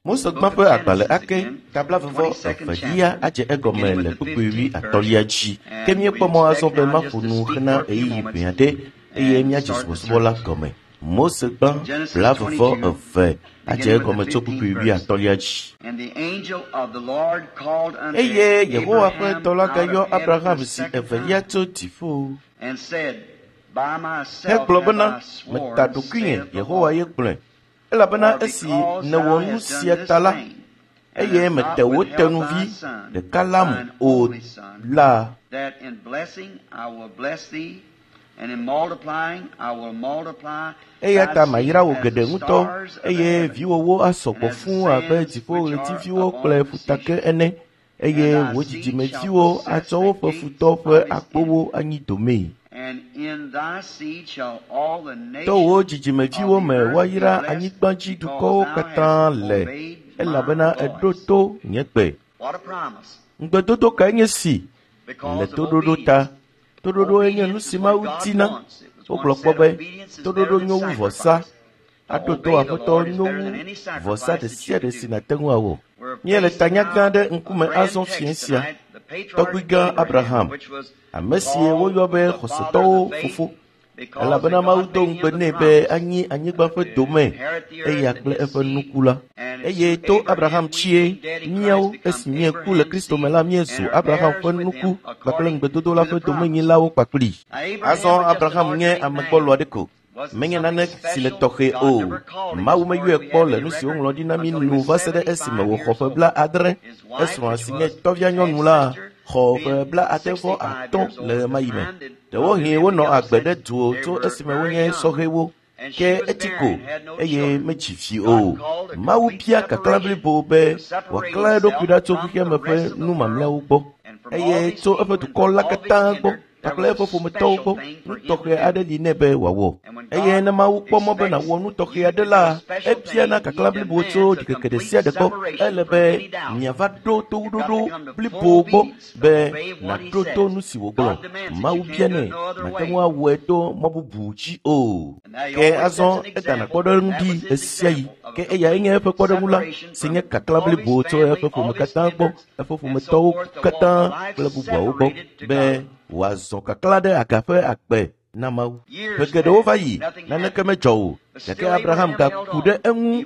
Mose gbã ƒe agbalẽ ake ta blaeve-vɔ-evelia adze egɔme le kpukpui wuiatɔ̃lia dzi. Ke míekpɔ mɔ azɔ be maƒo nu hena ɣeyiɣi ʋɛ aɖe eye míadze subɔsubɔ la gɔme. Mose gbã blaeve-vɔ-eve adze egɔme tso kpukpui wuiatɔ̃lia dzi. Eye Yehowa ƒe dɔla gayɔ Abraham zi evelia tso dziƒo hegblɔ bena, Meta ɖokuinye, Yehowa ye gblɔe, elabena esi nèwɔ nu sia ta la, eye mete wò tenuvi ɖeka lam o la, eya ta mayra wò geɖe ŋutɔ, eye viwòwo asɔ gbɔ fũu abe dziƒoɣletiviwo kple ƒutake ene, eye wò dzidzimeviwo atsɔ woƒe futɔ ƒe akpowo anyi domee. To wò dzidzimeviwo me woayra anyigbadzidukɔwo katã le, elabena èɖo to nye gbe. Ŋugbedodo kae nye si le toɖoɖo ta? Toɖoɖoe nye nu si Mawu dina. Wogblɔ kpɔ be, toɖoɖo nyo wu vɔsa. Aɖo to Aƒetɔ nyo wu vɔsa ɖe sia ɖe si nàte ŋu awɔ. Míele tanya gã aɖe ŋkume azɔ fiẽ sia. Tɔgbui gã Abraham, ame si woyɔ be xɔsetɔwo fofo, elabena Mawu do ŋugbe nɛ be anyi anyigba ƒe dome eya kple eƒe nuku la. Eye to Abraham dzie míawo esi míeku le Kristo me la míezu Abraham ƒe nuku kpakple ŋugbedodo la ƒe domenyilawo kpakplii. Azɔ Abraham nye ame gbɔlo aɖe ko. Menye nane si le tɔxɛ o. Mawu meyɔe kpɔ le nu si woŋlɔ ɖi na mí nu va se ɖe esime wòxɔ ƒe 70. Esrɔ̃a si nye tɔvia nyɔnu la xɔ ƒe 75 le ɣemaɣi me. Ɖewohĩ wonɔ agbe ɖe du tso esime wonye sɔhɛwo. Ke etsi ko eye medzi vi o. Mawu bia kaklã blibo be wòaklã eɖokui ɖa tso xexeame ƒe nu mamlɛawo gbɔ eye tso eƒe dukɔ la katã gbɔ kpakple eƒe ƒometɔwo gbɔ. Nu tɔxɛ aɖe li nɛ be wòawɔ. Eye ne Mawu kpɔ mɔ be nàwɔ nu tɔxɛ aɖe la, ebiana kaklã blibo tso ɖikeke ɖe sia ɖe gbɔ. Ele be miava ɖo toɖoɖo blibo gbɔ be nàɖo to nu si wògblɔ. Mawu bianɛ, màte ŋu awɔe to mɔ bubu dzi o. Ke azɔ edana kpɔɖeŋu ɖi ɣesiaɣi. Ke eyae nye eƒe kpɔɖeŋu la, si nye kaklã blibo tso eƒe ƒome katã gbɔ, eƒe ƒometɔwo katã kple bubuawo gbɔ be wòazɔ kaklã ɖe aga ƒe agbe na Mawu. Ƒe geɖewo va yi, naneke medzɔ o, gake Abraham gaku ɖe eŋu.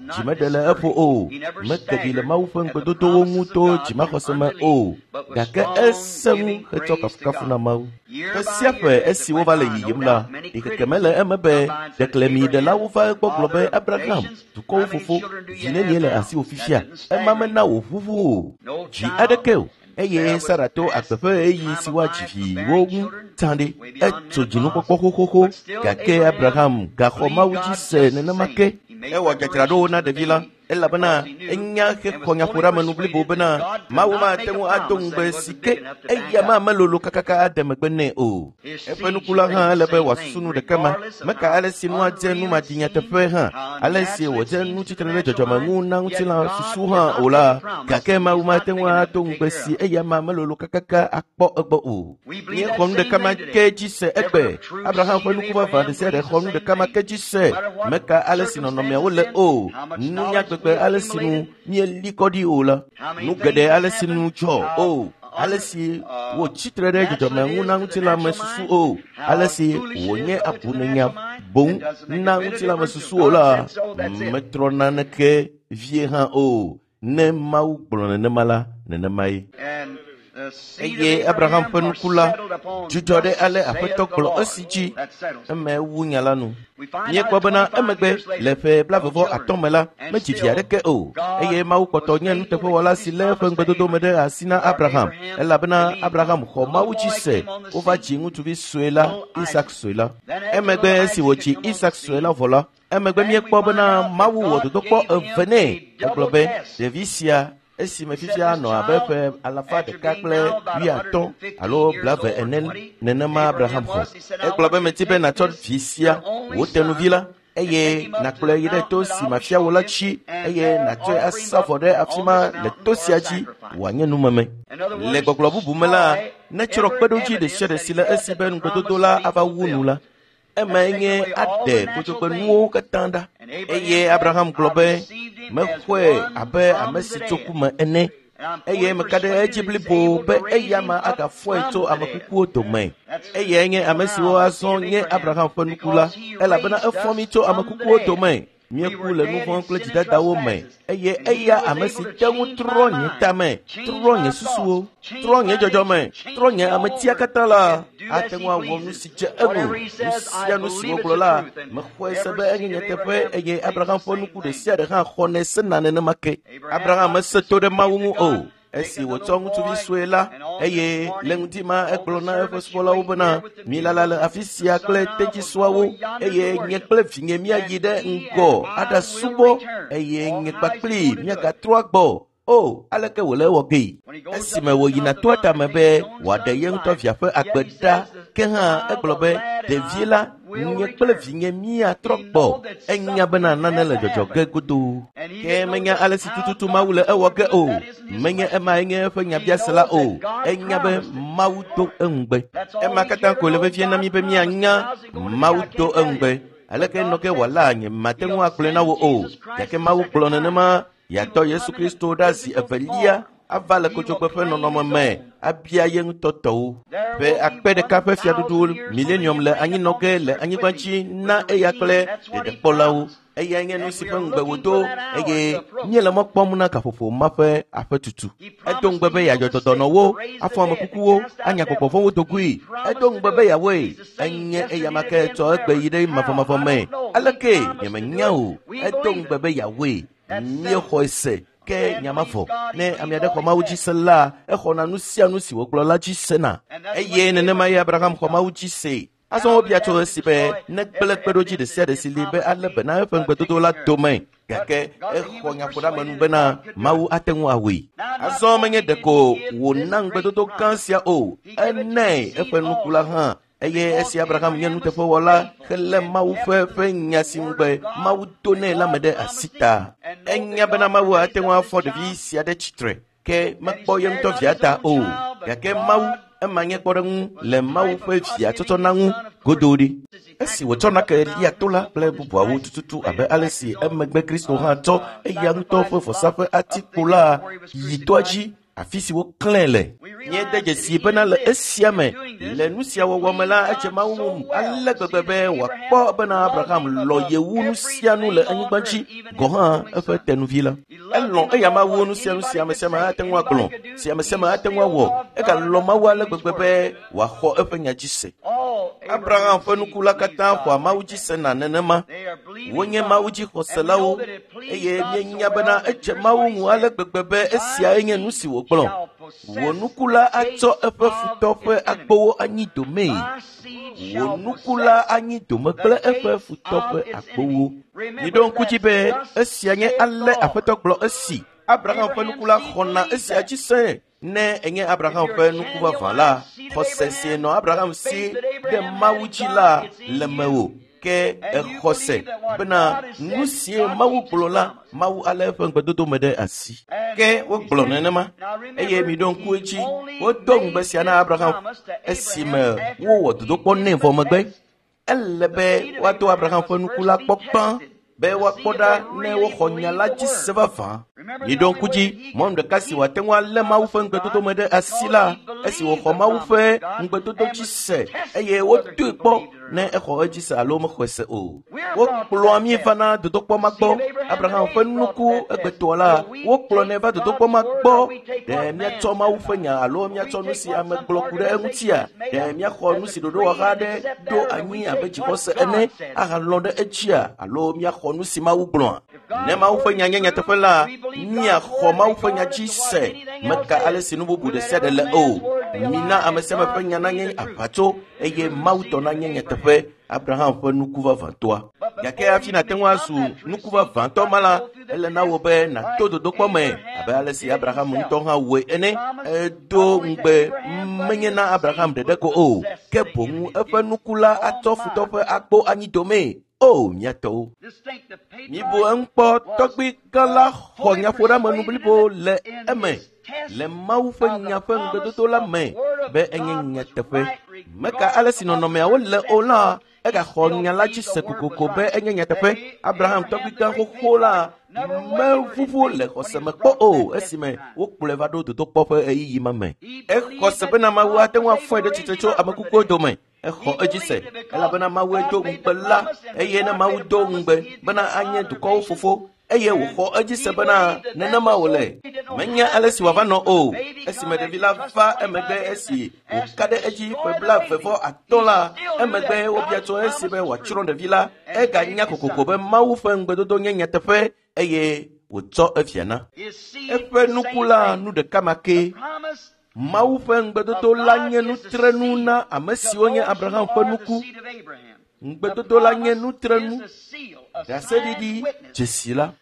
Dzi meɖe le eƒo o, meke ɖi le Mawu ƒe ŋugbedodowo ŋu to dzimaxɔse me o, gake esẽ ŋu hetsɔ kafukafu na Mawu. Ƒe sia ƒe esi wova le yiyim la, ɖikeke mele eme be ɖeklemiɖelawo va egbɔ gblɔ be Abraham, dukɔwo fofo, vi nenie le asiwò fifia? Ema mena wòʋuʋu o. Dzi aɖeke o. Eye Sara to agbe ƒe ɣeyiɣi si woadzi viwo ŋu tsã ɖi. Etso dzinukpɔkpɔ xoxoxo gake Abraham gaxɔ Mawu dzi se nenema ke. Ewɔ dzadzraɖowo na ɖevi la elabena enya hexɔ nyaƒoɖeamenu blibo bena Mawu mate ŋu ado ŋugbe si ke eya ma melolo kakaka ade megbe nɛ o. Eƒe nuku la hã ele be wòasusu nu ɖeka ma. Meka ale si nua dze nu madinyateƒe hã, ale si wòdze nu tsitre ɖe dzɔdzɔme ŋu na ŋutilã susu hã o la, gake Mawu mate ŋu ado ŋugbe si eya ma melolo kakaka akpɔ egbɔ o. Míexɔ nu ɖeka ma ke dzi se egbe. Abraham ƒe nuku vavã ɖe sia ɖe xɔ nu ɖeka ma ke dzi se. Meka ale si nɔnɔmeawo le o, nunya gbegbe ale si nu míeli kɔ ɖi o la, nu geɖe ale si nu dzɔ o, ale si wòtsi tre ɖe dzɔdzɔme ŋu na ŋutilãme susu o, ale si wònye abunenya boŋ na ŋutilãme susu o la, metrɔ naneke vie hã o. Ne Mawu gblɔ nenema la, nenemae. Eye Abraham ƒe nuku la dzudzɔ ɖe ale Aƒetɔ gblɔ esi dzi eme wu nya la nu. Míekpɔ bena emegbe le ƒe 75 me la, medzi vi aɖeke o, eye Mawu kpɔtɔ nye nuteƒewɔla si lé eƒe ŋugbedodo me ɖe asi na Abraham, elabena Abraham xɔ Mawu dzi se. Wova dzi ŋutsuvi sue la, Isak sue la. Emegbe esi wòdzi Isak sue la vɔ la, emegbe míekpɔ bena Mawu wɔ dodokpɔ eve nɛ. Egblɔ be ɖevi sia esime fifia nɔ abe ƒe 150 alo 70 ene nenema Abraham xɔ. Egblɔ be medi be nàtsɔ vi sia, wò tenuvi la, eye nàkplɔe yi ɖe to si mafia wò la dzi eye nàtsɔe asa vɔ ɖe afi ma le to sia dzi wòanye numeme. Le gbɔgblɔ bubu me la, netsrɔ̃ kpeɖodzi ɖe sia ɖe si le esi be ŋugbedodo la ava wu nu la, emae nye aɖe kodzogbenuwo katã ɖa. Eye Abraham gblɔ be, Mexɔe abe ame si tso ku me ene eye meka ɖe edzi blibo be eya ma agafɔe tso ame kukuwo dome. Eyae nye ame siwo azɔ nye Abraham ƒe nuku la, elabena efɔ mí tso ame kukuwo dome. Míeku le nu vɔ̃ kple dzidadawo me eye eya ame si te ŋu trɔ nye tame, trɔ nye susuwo, trɔ nye dzɔdzɔme, trɔ nye ametia katã la, ate ŋu awɔ nu si dze eŋu. Nu sia nu si wògblɔ la, mexɔe se be enye nyateƒe eye Abraham ƒe nuku ɖe sia ɖe hã xɔnɛ sena nenema ke. Abraham mese to ɖe Mawu ŋu o. Esi wòtsɔ ŋutsuvi sue la eye le ŋdi ma egblɔ na eƒe subɔlawo bena, milala le afi sia kple tedzisuawo eye nye kple vinye míayi ɖe ŋgɔ aɖasubɔ eye nye kpakpli míagatrɔ agbɔ. O, aleke wòle ewɔ gee? Esime wòyina toa tame be wòaɖe ye ŋutɔ via ƒe agbe ɖa, ke hã egblɔ be, ɖevi la, nye kple vinye míatrɔ gbɔ. Enya bena nane le dzɔdzɔ ge godoo. Ke menya ale si tututu Mawu le ewɔ ge o. Menye emae nye eƒe nyabiase la o. Enya be Mawu do eŋugbe. Ema katã koe le vevie na mí be míanya Mawu do eŋugbe. Aleke nɔ ge wòala nye mate ŋu agblɔe na wò o. Gake Mawu gblɔ nenema yeatɔ Yesu Kristo ɖa zi evelia ava le kodzogbe ƒe nɔnɔme me abia ye ŋutɔ tɔwo. Ƒe akpe ɖeka ƒe fiaɖuɖu milenium le anyinɔ ge le anyigba dzi na eya kple ɖeɖekpɔlawo. Eyae nye nu si ƒe ŋugbe wòdo eye míele mɔ kpɔm na gaƒoƒo ma ƒe aƒetutu. Edo ŋugbe be yeadzɔ dɔdɔnɔwo, afɔ ame kukuwo, anya gbɔgbɔ vɔ̃wo dogoe. Edo ŋugbe be yeawɔe. Enye eya ma ke tsɔ egbe yi ɖe mavɔmavɔ me. Aleke nyemenya o. Edo ŋugbe be yeawɔe. Míexɔe se ke nya ma vɔ. Ne ame aɖe xɔ Mawu dzi se la, exɔna nu sia nu si wògblɔ la dzi sena. Eye nenema ye Abraham xɔ Mawu dzi se. Azɔ wobia tso esi be negblẽ kpeɖodzi ɖe sia ɖe si li be alé be na eƒe ŋugbedodo la dome. Gake exɔ nyaƒoɖeamenu bena Mawu ate ŋu awɔe. Azɔ menye ɖeko wòna ŋugbedodo gã sia o, enae eƒe nuku la hã. Eye esi Abraham nye nuteƒewɔla helé Mawu ƒe ƒe nya si ŋugbe Mawu do nɛ la me ɖe asi ta. Enya bena Mawu ate ŋu afɔ ɖevi sia ɖe tsitre, ke mekpɔ ye ŋutɔ via ta o. Gake Mawu ema nye kpɔɖeŋu le Mawu ƒe via tsɔtsɔ na ŋu godoo ɖi. Esi wòtsɔ nake lia to la kple bubuawo tututu abe ale si emegbe Kristo hã tsɔ eya ŋutɔ ƒe vɔsa ƒe atikpo la yi toa dzi afi si woklãe le. Míede dzesi bena le esia me, le nu sia wɔwɔ me la, edze Mawu ŋu ale gbegbe be wòakpɔ bena Abraham lɔ̃ ye wu nu sia nu le anyigba dzi, gɔ̃ hã eƒe tenuvi la. Elɔ̃ eya ma wu nu sia nu si ame sia ame ate ŋu agblɔ, si ame sia ame ate ŋu awɔ. Egalɔ̃ Mawu ale gbegbe be wòaxɔ eƒe nya dzi se. Abraham ƒe nuku la katã xɔa Mawu dzi sena nenema. Wonye Mawu dzi xɔselawo eye míenya bena edze Mawu ŋu ale gbegbe be esiae nye nu si wògblɔ. Wò nuku la atsɔ eƒe futɔ ƒe agbowo anyi domee. Wò nuku la anyi dome kple eƒe futɔ ƒe agbowo. Miɖo ŋku dzi be esia nye ale Aƒetɔ gblɔ esi Abraham ƒe nuku la xɔna esia dzi se. Ne enye Abraham ƒe nuku vavã la, xɔse si nɔ Abraham si ɖe Mawu dzi la le mewò. Ke exɔ se bena nu sie Mawu gblɔ la, Mawu alé eƒe ŋugbedodo me ɖe asi. Ke wogblɔ nenema eye miɖo ŋku edzi, wodo ŋugbe sia na Abraham esime wowɔ dodokpɔ nɛ vɔ megbe. Ele be woado Abraham ƒe nuku la kpɔ gbã be woakpɔ ɖa ne woxɔ nya la dzi se vavã. Miɖo ŋku dzi, mɔnu ɖeka si wòate ŋu alé Mawu ƒe ŋugbedodo me ɖe asi la, esi wòxɔ Mawu ƒe ŋugbedodo dzi se eye wodoe kpɔ ne exɔ edzi se alo mexɔe se o. Wokplɔa mí vana dodokpɔ ma gbɔ. Abraham ƒe nuku egbetɔa la, wokplɔnɛ va dodokpɔ ma gbɔ. Ɖe míatsɔ Mawu ƒe nya alo míatsɔ nu si ame gblɔ ku ɖe eŋutia? Ɖe míaxɔ nu si ɖoɖowɔha aɖe ɖo anyi abe dzixɔse ene ahalɔ̃ ɖe edzia alo míaxɔ nu si Mawu gblɔa? Ne Mawu ƒe nya nye nyateƒe la, míaxɔ Mawu ƒe nya dzi se. Meka ale si nu bubu ɖe sia ɖe le o. Mina ame sia ame ƒe nya nanye aʋatso eye Mawu tɔ nanye nyateƒe. Abraham ƒe nuku vavãtɔa. Gake hafi nàte ŋu azu nuku vavãtɔ ma la, ele na wò be nàto dodokpɔ me abe ale si Abraham ŋutɔ hã wɔe ene. Edo ŋugbe menye na Abraham ɖeɖe ko o, ke boŋ eƒe nuku la atsɔ futɔ ƒe agbo anyi domee. O, mía tɔwo! Mibu eŋu kpɔ, tɔgbui gã la xɔ nyaƒoɖeamenu blibo le eme le Mawu ƒe nya ƒe ŋugbedodo la me be enye nyateƒe. Meka ale si nɔnɔmeawo le o la, Egaxɔ nya la dzi se kokoko be enye nyateƒe. Abraham tɔgbigã xoxo la meʋuʋu le xɔse me kpɔ o esime wokplɔe va ɖo dodokpɔ ƒe ɣeyiɣi ma me. Exɔ se bena Mawu ate ŋu afɔe ɖe tsitre tso ame kukuwo dome. Exɔ edzi se elabena Mawue do ŋugbe la eye ne Mawu do ŋugbe bena anye dukɔwo fofo eye wòxɔ edzi se bena nenema wòle. Menya ale si wòava nɔ o. Esime ɖevi la va emegbe esi wòka ɖe edzi ƒe 35 la, emegbe wobia tso esi be wòatsrɔ̃ ɖevi la, eganya kokoko be Mawu ƒe ŋugbedodo nye nyateƒe eye wòtsɔ efia na. Eƒe nuku la nu ɖeka ma ke. Mawu ƒe ŋugbedodo la nye nutrenu na ame siwo nye Abraham ƒe nuku. Ŋugbedodo la nye nutrenu, ɖaseɖiɖi, dzesi la.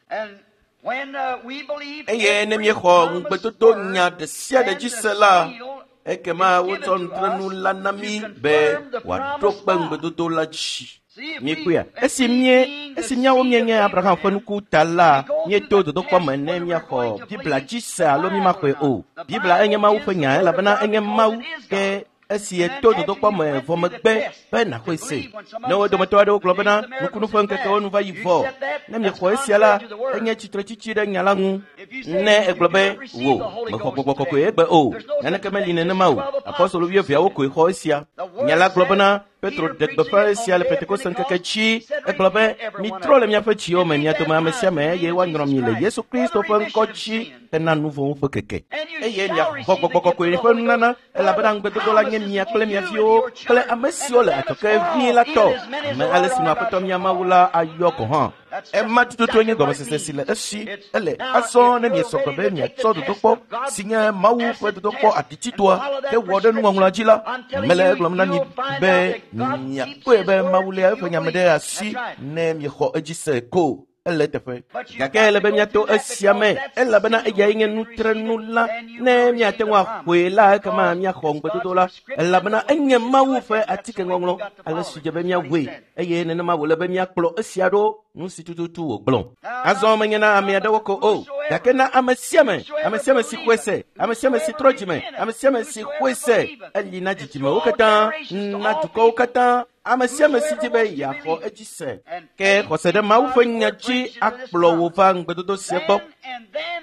Eye ne míexɔ ŋugbedodo nya ɖe sia ɖe dzi se la, ekema wotsɔ nutrenu la na mí be wòaɖo kpe ŋugbedodo la dzi. Míekpɔea? Esi míawo míenye Abraham ƒe nuku ta la, míeto dodokpɔ me ne míaxɔ Biblia dzi se alo mímaxɔe o. Biblia enye Mawu ƒe nya elabena enye Mawu ke esi eto dodokpɔ me vɔ megbe be nàxɔe se. Ne wo dometɔ aɖewo gblɔ bena nukunu ƒe ŋkekewo nu va yi vɔ, ne miexɔ esia la, enye tsitretsitsi ɖe nya la ŋu. Ne egblɔ be wò mexɔ gbɔgbɔ kɔkɔe egbe o, naneke meli nenema o. Apɔstolo wuieveawo koe xɔ esia. Nya la gblɔ bena Petro ɖe gbeƒã esia le Pentekoste ŋkeke dzi. Egblɔ be mitrɔ le miaƒe dziwo me, mia dome ame sia ame eye woanyrɔ mi le Yesu Kristo ƒe ŋkɔ dzi hena nu vɔ̃wo ƒe keke. Eye miaxɔ gbɔgbɔ kɔkɔe ƒe nunana elabena ŋugbedodo la nye mia kple mia viwo kple ame siwo le adzɔge vie la tɔ, ame ale si nu Aƒetɔ mia Mawu la ayɔ gɔ̃ hã. Ema tututu nye gɔmesese si le esi ele azɔ ne miesɔ gbe be miatsɔ dodokpɔ si nye Mawu ƒe dodokpɔ atitsitoa ke wɔ ɖe nuŋɔŋlɔa dzi la, mele egblɔm na mi be miakpɔe be Mawu léa eƒe nya me ɖe asi ne miexɔ edzi se ko. Ele teƒe. Gake ele be míato esia me elabena eyae nye nutrenu la. Ne míate ŋu axɔe la, ekema míaxɔ ŋugbedodo la elabena enye Mawu ƒe atikeŋɔŋlɔ ale si dze be míawɔe eye nenema wòle be míakplɔ esia ɖo nu si tututu wògblɔ. Azɔ menye na ame aɖewo ko o, gake na ame sia ame, ame sia ame si xɔe se, ame sia ame si trɔ dzime, ame sia ame si xɔe se, eli na dzidzimewo katã, na dukɔwo katã, ame sia ame si di be yeaxɔ edzi se. Ke xɔse ɖe Mawu ƒe nya dzi akplɔ wò va ŋugbedodo sia gbɔ.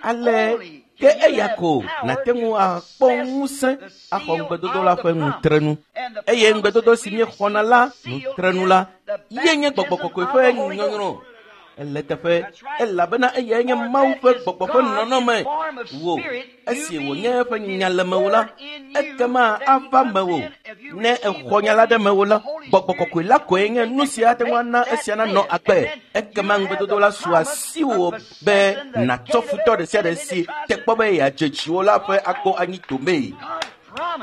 Ale ke eya ko nàte ŋu akpɔ ŋusẽ axɔ ŋugbedodo la ƒe nutrenu. Eye ŋugbedodo si míexɔna la nutrenu la ye nye gbɔgbɔ kɔkɔe ƒe nyɔnyrɔ. Ele teƒe elabena eyae nye Mawu ƒe gbɔgbɔ ƒe nɔnɔme wò. Esi wònye eƒe nya le mewò la, ekema ava mewò. Ne exɔ nya la ɖe mewò la, gbɔgbɔ kɔkɔe la koe nye nu si ate ŋu ana esia nanɔ agbe. Ekema ŋugbedodo la su asiwò be nàtsɔ futɔ ɖe sia ɖe si te kpɔ be yeadze dziwò la ƒe agbo anyi domee.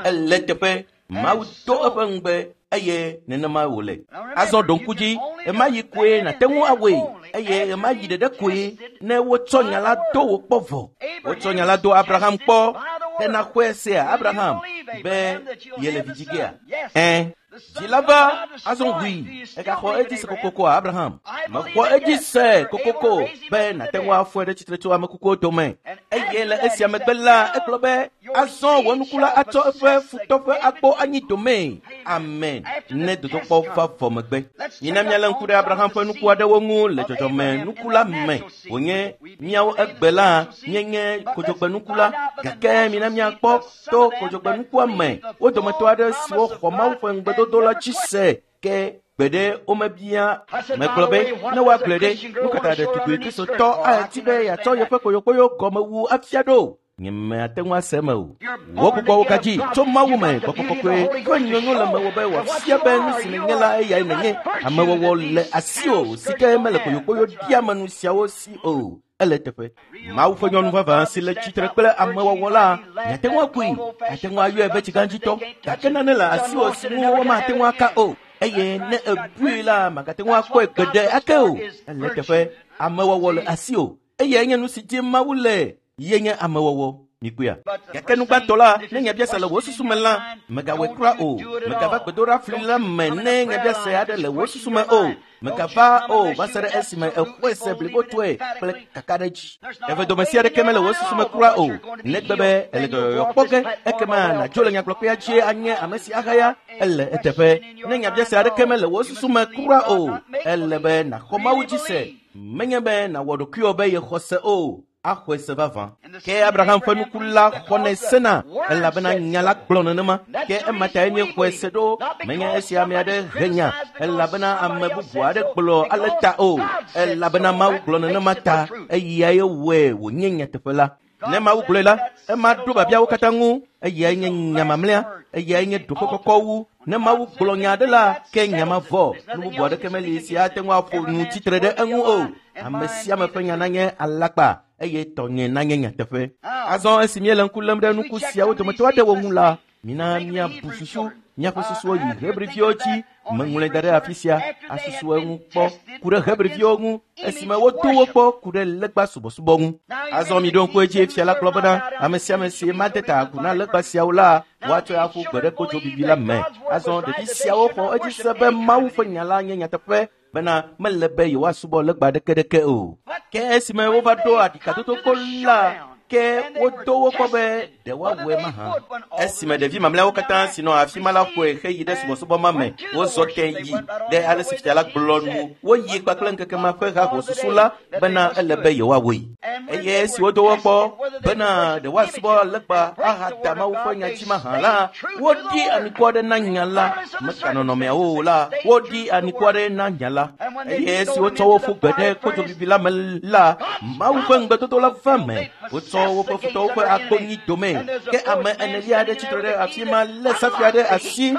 Ele teƒe Mawu do eƒe ŋugbe eye nenema wòle. Azɔ ɖo ŋku dzi, ɣemaɣi koe nàte ŋu awɔe eye ɣemaɣi ɖeɖe koe ne wotsɔ nya la do wò kpɔ vɔ. Wotsɔ nya la do Abraham kpɔ ke naxɔe sea Abraham be yele vi dzi gea? Ẽ. Dzi la va azɔ ʋui egaxɔ edzi se kokokoa Abraham. Mexɔ edzi se kokoko be nàte ŋu afɔe ɖe tsitre tso ame kukuwo dome. Eye le esia megbe la egblɔ be azɔ wò nuku la atsɔ eƒe futɔ ƒe agbo anyi domee. Amen. Ne dodokpɔ va vɔ megbe. Mina míalé ŋku ɖe Abraham ƒe nuku aɖewo ŋu le dzɔdzɔme nuku la me. Wònye míawo egbe la míenye kodzogbenuku la, gake mina míakpɔ to kodzogbenukua me wo dometɔ aɖe siwo xɔ Mawu ƒe ŋugbedodo la dzi se ke gbeɖe womebia. Megblɔ be ne woagblɔe ɖe, nu ka ta ɖetugbui Kristotɔ ati be yeatsɔ yeƒe kpoyokpoyo gɔmewu afia ɖo? Nyemeate ŋu ase eme o. Wò gbɔgbɔwo gadzi tso Mawu me gbɔgbɔ kɔkɔe ƒe nyonyo le mewò be wòafia be nu si nènye la eyae nènye. Amewɔwɔ le asiwò si ke mele kpoyokpoyo ɖiamenu siawo si o. Ele teƒe. Mawu ƒe nyɔnu vavã si le tsitre kple amewɔwɔ la, miate ŋu akui, miate ŋu ayɔe be tsigãdzitɔ, gake nane le asiwò si ŋu womate ŋu aka o. Eye ne èbui la, màgate ŋu akpɔe gbeɖe ake o. Ele teƒe. Amewɔwɔ le asiwò. Eyae nye nu si dim Mawu le ye nye amewɔwɔ. Mikpɔea? Gake nu gbãtɔ la, ne nyabiase le wò susu me la, mègawɔe kura o. Mègava gbedoɖafli la me ne nyabiase aɖe le wò susu me o. Mègava o va se ɖe esime èxɔe se blibotɔe kple kakaɖedzi. Evedome sia aɖeke mele wò susu me kura o. Negbe be èle dɔyɔyɔ kpɔ ge, ekema nàdzo le nyagblɔƒea dzie anye ame si ahaya ele eteƒe. Ne nyabiase aɖeke mele wò susu me kura o, ele be nàxɔ Mawu dzi se. Menye be nàwɔ ɖokuiwò be yexɔ se o, axɔe se vavã. Ke Abraham ƒe nuku la xɔnɛ sena elabena nya la gblɔ nenema. Ke ema tae míexɔe se ɖo. Menye esi ame aɖe he nya elabena ame bubu aɖe gblɔ ale ta o, elabena Mawu gblɔ nenema ta eyae wɔe wònye nyateƒe la. Ne Mawu gblɔe la, ema ɖo biabiawo katã ŋu. Eyae nye nya mamlɛa, eyae nye ɖoƒe kɔkɔ wu. Ne Mawu gblɔ nya aɖe la, ke nya ma vɔ. Nu bubu aɖeke meli si ate ŋu aƒo nu tsitre ɖe eŋu o. Ame sia ame ƒe nya nanye alakpa eye tɔnye nanye nyateƒe. Azɔ esi míele ŋku lém ɖe nuku siawo dometɔ aɖewo ŋu la, mina míabu susu míaƒe susuwo yi Hebriviwo dzi. Meŋlɔe da ɖe afi sia asusu eŋu kpɔ ku ɖe Hebriviwo ŋu esime wodo wo kpɔ ku ɖe legba subɔsubɔ ŋu. Azɔ miɖo ŋku edzi fia la gblɔ bena ame sia ame si made ta agu na legba siawo la, woatsɔe aƒu gbe ɖe kodzobibi la me. Azɔ ɖevi siawo xɔ edzi se be Mawu ƒe nya la nye nyateƒe bena mele be yewoasubɔ legba ɖekeɖeke o. Ke esime wova ɖo aɖikadodokpo la, ke wodo wo kpɔ be ɖe woawɔe mahã. Esime ɖevi mamlɛawo katã si nɔ afi ma la ƒoe heyi ɖe subɔsubɔ ma me, wozɔ te yi ɖe ale si fia la gblɔ nu. Woyi kpakple ŋkeke ma ƒe hahosusu la bena ele be yewoawɔe. Eye esi wodo wo kpɔ bena ɖe woasubɔ legba ahada Mawu ƒe nya dzi mahã la, woɖi anikua ɖe na nya la. Meka nɔnɔmeawo o la, woɖi anikua ɖe na nya la. Eye esi wotsɔ wo ƒu gbe ɖe kodzobibi la me la, Mawu ƒe ŋugbedodo la va me. Wotsɔ woƒe futɔwo ƒe agbonyi dome. Ke ame enelia aɖe tsitre ɖe afi ma lé safia ɖe asi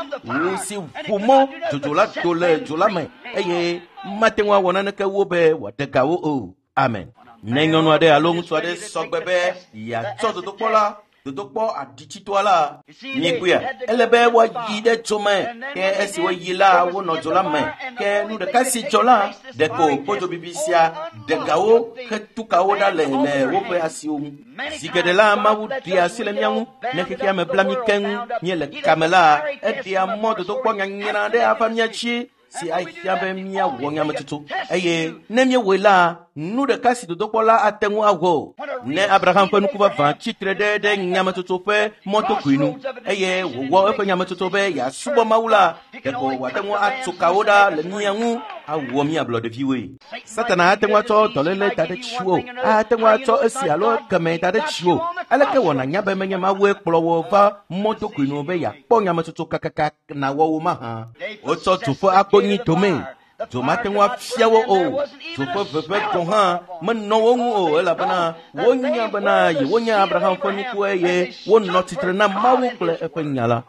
si ʋu mɔ dzodzo la do le dzo la me eye mate ŋu awɔ naneke wo be wòaɖe ga wo o. Amen. Ne nyɔnu aɖe alo ŋutsu aɖe sɔgbe be yeatsɔ dodokpɔ la, dodokpɔ aɖitsitɔa la, mikpɔea, ele be woayi ɖe dzo me. Ke esi woyi la, wonɔ dzo la me. Ke nu ɖeka si dzɔ la, ɖeko kodzobibi sia ɖe gawo hetu kawo ɖa le woƒe asiwo ŋu. Zi geɖe la, Mawu ɖea asi le mía ŋu. Ne xexea me bla mí keŋ míele kame la, eɖea mɔ dodokpɔ nyanyra ɖe ava mía dzi si ahia be míawɔ nyametsotso. Eye ne míewɔe la, nu ɖeka si dodokpɔ la ate ŋu awɔ o. Ne Abraham ƒe nuku vavã tsitre ɖe nyametsotso ƒe mɔtokui nu eye wòwɔ eƒe nyametsotso be yeasubɔ Mawu la, ɖeko wòate ŋu atso kawo ɖa le mía ŋu awɔ mía ablɔɖeviwoe. Satana ate ŋu atsɔ dɔléle da ɖe dziwò, ate ŋu atsɔ esi alo ekeme da ɖe dziwò. Aleke wɔ nànya be menye Mawue kplɔ wò va mɔtokui nu be yeakpɔ nyametsotso kakaka nawɔ wo mahã? Wotsɔ dzo ƒe agbonyi dome. Dzo mate ŋu afia wo o. Dzo ƒe ʋeʋẽ gɔ̃ hã menɔ wo ŋu o elabena wonya bena yewonye Abraham ƒe nuku eye wonɔ tsitre na Mawu kple eƒe nya la.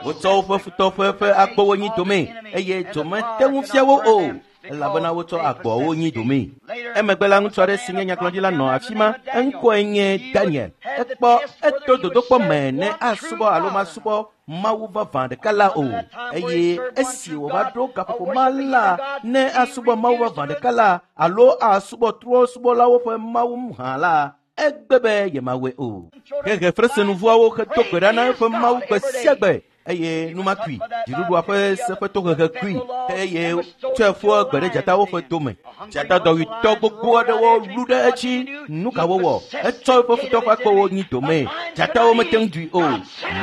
Wotsɔ woƒe futɔ ƒe agbowo nyi dome eye dzo mete ŋu fia wo o elabena wotsɔ agboawo nyi dome. Emegbe la, ŋutsu aɖe si nye nyagblɔɖila nɔ afi ma. Eŋkɔe nye Daniel. Ekpɔ eto dodokpɔ me ne asubɔ alo masubɔ Mawu vavã ɖeka la o. Eye esi wòva ɖo gaƒoƒo ma la, ne asubɔ Mawu vavã ɖeka la alo asubɔ trɔ̃subɔlawo ƒe Mawu hã la, egbe be yemawɔe o. Hehe fresenuvuawo hedo gbe ɖa na eƒe Mawu gbe sia gbe eye nu ma kui. Dziɖuɖua ƒe seƒetohehe kui eye tsɔe ƒu gbe ɖe dzatawo ƒe dome. Dzata dɔwuitɔ gbogbo aɖewo lu ɖe edzi. Nu ka wowɔ? Etsɔ eƒe futɔ ƒe akpewo nyi dome. Dzatawo mete ŋu ɖui o.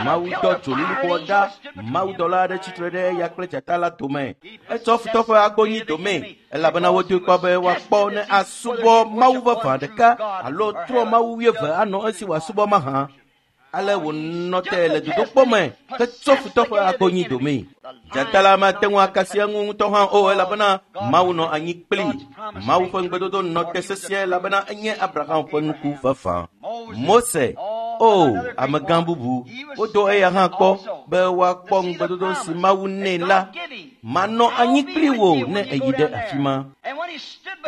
Mawu dɔ dzolilikpoa ɖa. Mawudɔla aɖe tsitre ɖe eya kple dzata la dome. Etsɔ futɔ ƒe agbo nyi dome elabena wodoe kpɔ be woakpɔ ne asubɔ Mawu vavã ɖeka alo trɔ Mawu wuieve anɔ esi wòasubɔ mahã. Ale wònɔ te le dodokpɔ me hetsɔ futɔ ƒe agbo nyi dome. Dzata la mate ŋu akasi eŋu ŋutɔ hã o elabena Mawu nɔ anyi kplii. Mawu ƒe ŋugbedodo nɔ te sesĩe elabena enye Abraham ƒe nuku vavã. Mose, o amegã bubu, wodo eya hã kpɔ be woakpɔ ŋugbedodo si Mawu nɛ la. Manɔ anyi kpli wò ne èyi ɖe afi ma.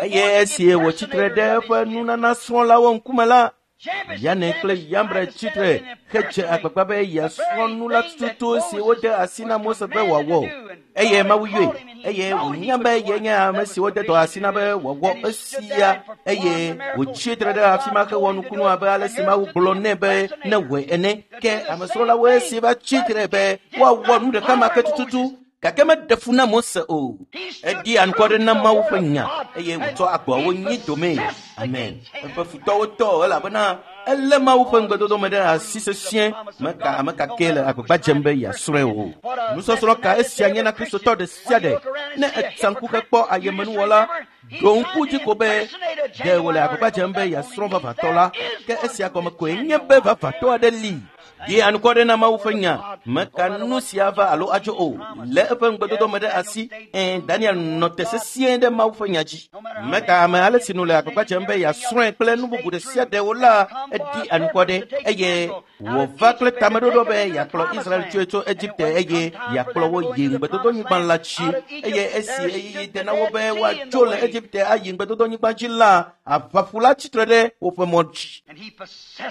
Eye esi wòtsitre ɖe eƒe nunana srɔ̃lawo ŋkume la, Yane kple Yambre tsitre hedze agbagba be yeasrɔ̃ nu la tututu si wode asi na Mose be wòawɔ. Eye Mawu yɔe, eye wònya be yenye ame si wode dɔ asi na be wòawɔ esia, eye wòtsi tre ɖe afi ma hewɔ nukunu abe ale si Mawu gblɔ nɛ be newɔe ene. Ke amesrɔ̃lawoe si va tsi tre be woawɔ nu ɖeka ma ke tututu. Gake meɖe fu na Mose o. Eɖi anukware na Mawu ƒe nya eye wòtsɔ agboawo nyi domee. Amen. Eƒe futɔwo tɔ elabena elé Mawu ƒe ŋugbedodo me ɖe asi sesĩe. Meka ame ka kee le agbagba dzem be yeasrɔ̃e o. Nusɔsrɔ̃ ka esia nye na Kristotɔ ɖe sia ɖe? Ne etsa ŋku hekpɔ ayemenuwɔla, ɖo ŋku dzi ko be ɖe wòle agbagba dzem be yeasrɔ̃ vavãtɔ la, ke esia gɔme koe nye be vavãtɔ aɖe li. Ɖi anukware na Mawu ƒe nya. Meka nu sia va alo adzo o. Lé eƒe ŋugbedodo me ɖe asi. Ɛ̃, Daniel nɔ te sesĩe ɖe Mawu ƒe nya dzi. Meka ame ale si nu le agbagba dzem be yeasrɔ̃e kple nu bubu ɖe sia ɖe o la, eɖi anukware eye wòva kple tameɖoɖo be yeakplɔ Israel tsoe tso Egipte eye yeakplɔ wo yi ŋugbedodonyigba la dzi. Eye esi ɣeyiɣi de na wo be woatso le Egipte ayi ŋugbedodonyigba dzi la, aʋaƒu la tsitre ɖe woƒe mɔ dzi.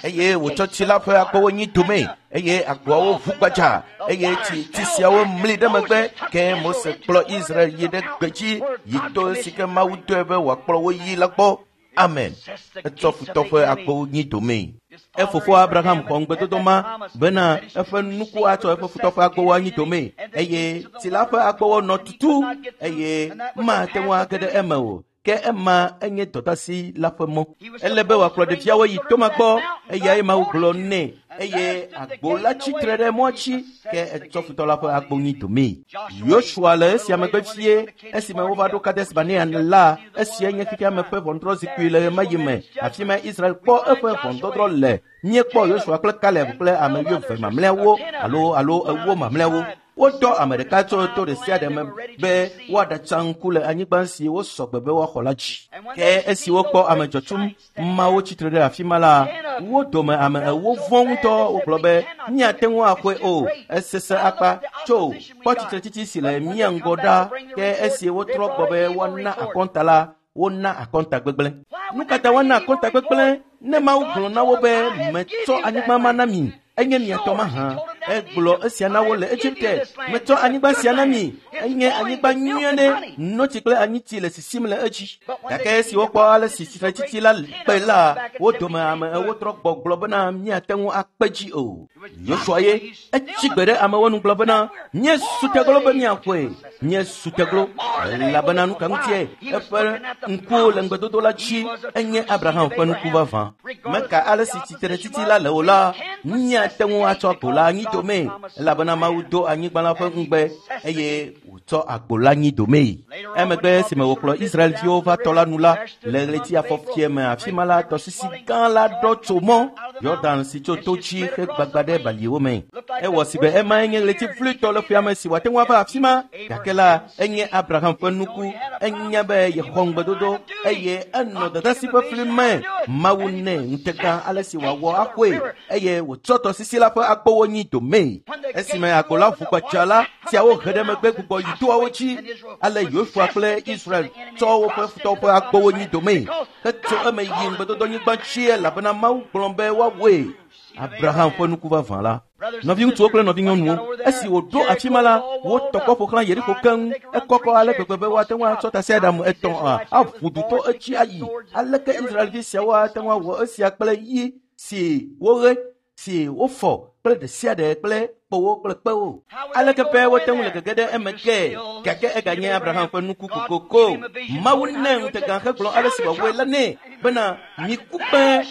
Eye wòtsɔ tsi la ƒe agbowo nyi domee, eye agboawo ʋu gbadza, eye tsi tsi siawo mli ɖe megbe. Ke Mose kplɔ Israel yi ɖe gbedzi yi to si ke Mawu dɔe be wòakplɔ wo yi la gbɔ. Amen. Etsɔ futɔ ƒe agbowo nyi domee. Efofo Abraham xɔ ŋugbedodo ma bena eƒe nuku atsɔ eƒe futɔ ƒe agbowo anyi domee, eye tsi la ƒe agbowo nɔ tutu eye mate ŋu age ɖe eme o. Ke ema enye dɔdeasi la ƒe mɔ. Ele be wòakplɔ ɖeviawo yi toma gbɔ, eyae Mawu gblɔ nɛ, eye agbo la tsitre ɖe mɔa dzi, ke etsɔ futɔ la ƒe agbo nyi domee. Yosua le esia megbe vie, esime wova ɖo Kades Barnea la, esia nye xexea me ƒe ʋɔnudrɔ̃zikpui le ɣemaɣi me. Afi ma Israel kpɔ eƒe ʋɔnudɔdrɔ̃ le. Míekpɔ Yosua kple Kaleb kple ame wuieve mamlɛawo alo alo ewo mamlɛawo. Wodɔ ame ɖeka tso to ɖe sia ɖe me be woaɖatsa ŋku le anyigba si wosɔ gbe be woaxɔ la dzi. Ke esi wokpɔ ame dzɔtsu mawo tsitre ɖe afi ma la, wo dome ame ewo vɔ̃ ŋutɔ. Wogblɔ be, míate ŋu axɔe o, esesẽ akpa. Tso, kpɔ tsitretsitsi si le mía ŋgɔ ɖa. Ke esi wotrɔ gbɔ be woana akɔnta la, wona akɔnta gbegblẽ. Nu ka ta woana akɔnta gbegblẽ ne Mawu gblɔ na wo be metsɔ anyigba ma na mi? Enye mia tɔ mahã. Egblɔ esia na wo le Egipte. Metsɔ anyigba sia na mi. Enye anyigba nyui aɖe. Notsi kple anyitsi le sisim le edzi. Gake esi wokpɔ ale si tsitretsitsi la kpe la, wo dome ame ewo trɔ gbɔ gblɔ bena míate ŋu akpe dzi o. Yosua ye etsi gbe ɖe amewo nu gblɔ bena míesu teglo be míaxɔe. Míesu teglo elabena nu ka ŋutie eƒe ŋkuwo le ŋugbedodo la dzi enye Abraham ƒe nuku vavã. Meka ale si tsitretsitsi la le o la, míate ŋu atsɔ agbo la anyi domee elabena Mawu do anyigba la ƒe ŋugbe eye wòtsɔ agbo la nyi domee. Emegbe esime wòkplɔ Israelviwo va tɔ la nu la, le ɣleti afɔfie me afi ma la, tɔsisi gã la ɖɔ tso mɔ Yɔdan si tso to dzi hegbagba ɖe baliwo me. Ewɔ si be emae nye ɣleti vloetɔ le ƒea me si wòate ŋu ava afi ma. Gake la, enye Abraham ƒe nuku. Enya be yexɔ ŋugbedodo eye enɔ dɔdeasi ƒe fli me. Mawu nɛ ŋutega ale si wòawɔ axɔe eye wòtsɔ tɔsisi la ƒe agbowo nyi domee. Esime agbo la ʋu gbadza la, tsiawo he ɖe megbe gbugbɔ yi toawo dzi. Ale Yosua kple Israel tsɔ woƒe futɔwo ƒe agbowo nyi domee hetso eme yi ŋugbedodonyigba dzi elabena Mawu gblɔ be woawɔe. Abraham ƒe nuku vavã la. Nɔviŋutsuwo kple nɔvinyɔnuwo, esi wòɖo afi ma la, wotɔ kpɔ ƒo xlã Yeriko keŋ. Ekɔkɔ ale gbegbe be woate ŋu atsɔ tasiaɖam etɔ̃ aʋu du to edzi ayi. Aleke Israelvi siawo ate ŋu awɔ esia kple yi si woɣe, si wofɔ kple ɖe sia ɖe kple kpowo kple kpewo? Aleke be wote ŋu le gege ɖe eme ke? Gake eganye Abraham ƒe nuku kokoko. Mawu nɛ ŋutega hegblɔ ale si wòawɔe la nɛ bena miku kpẽ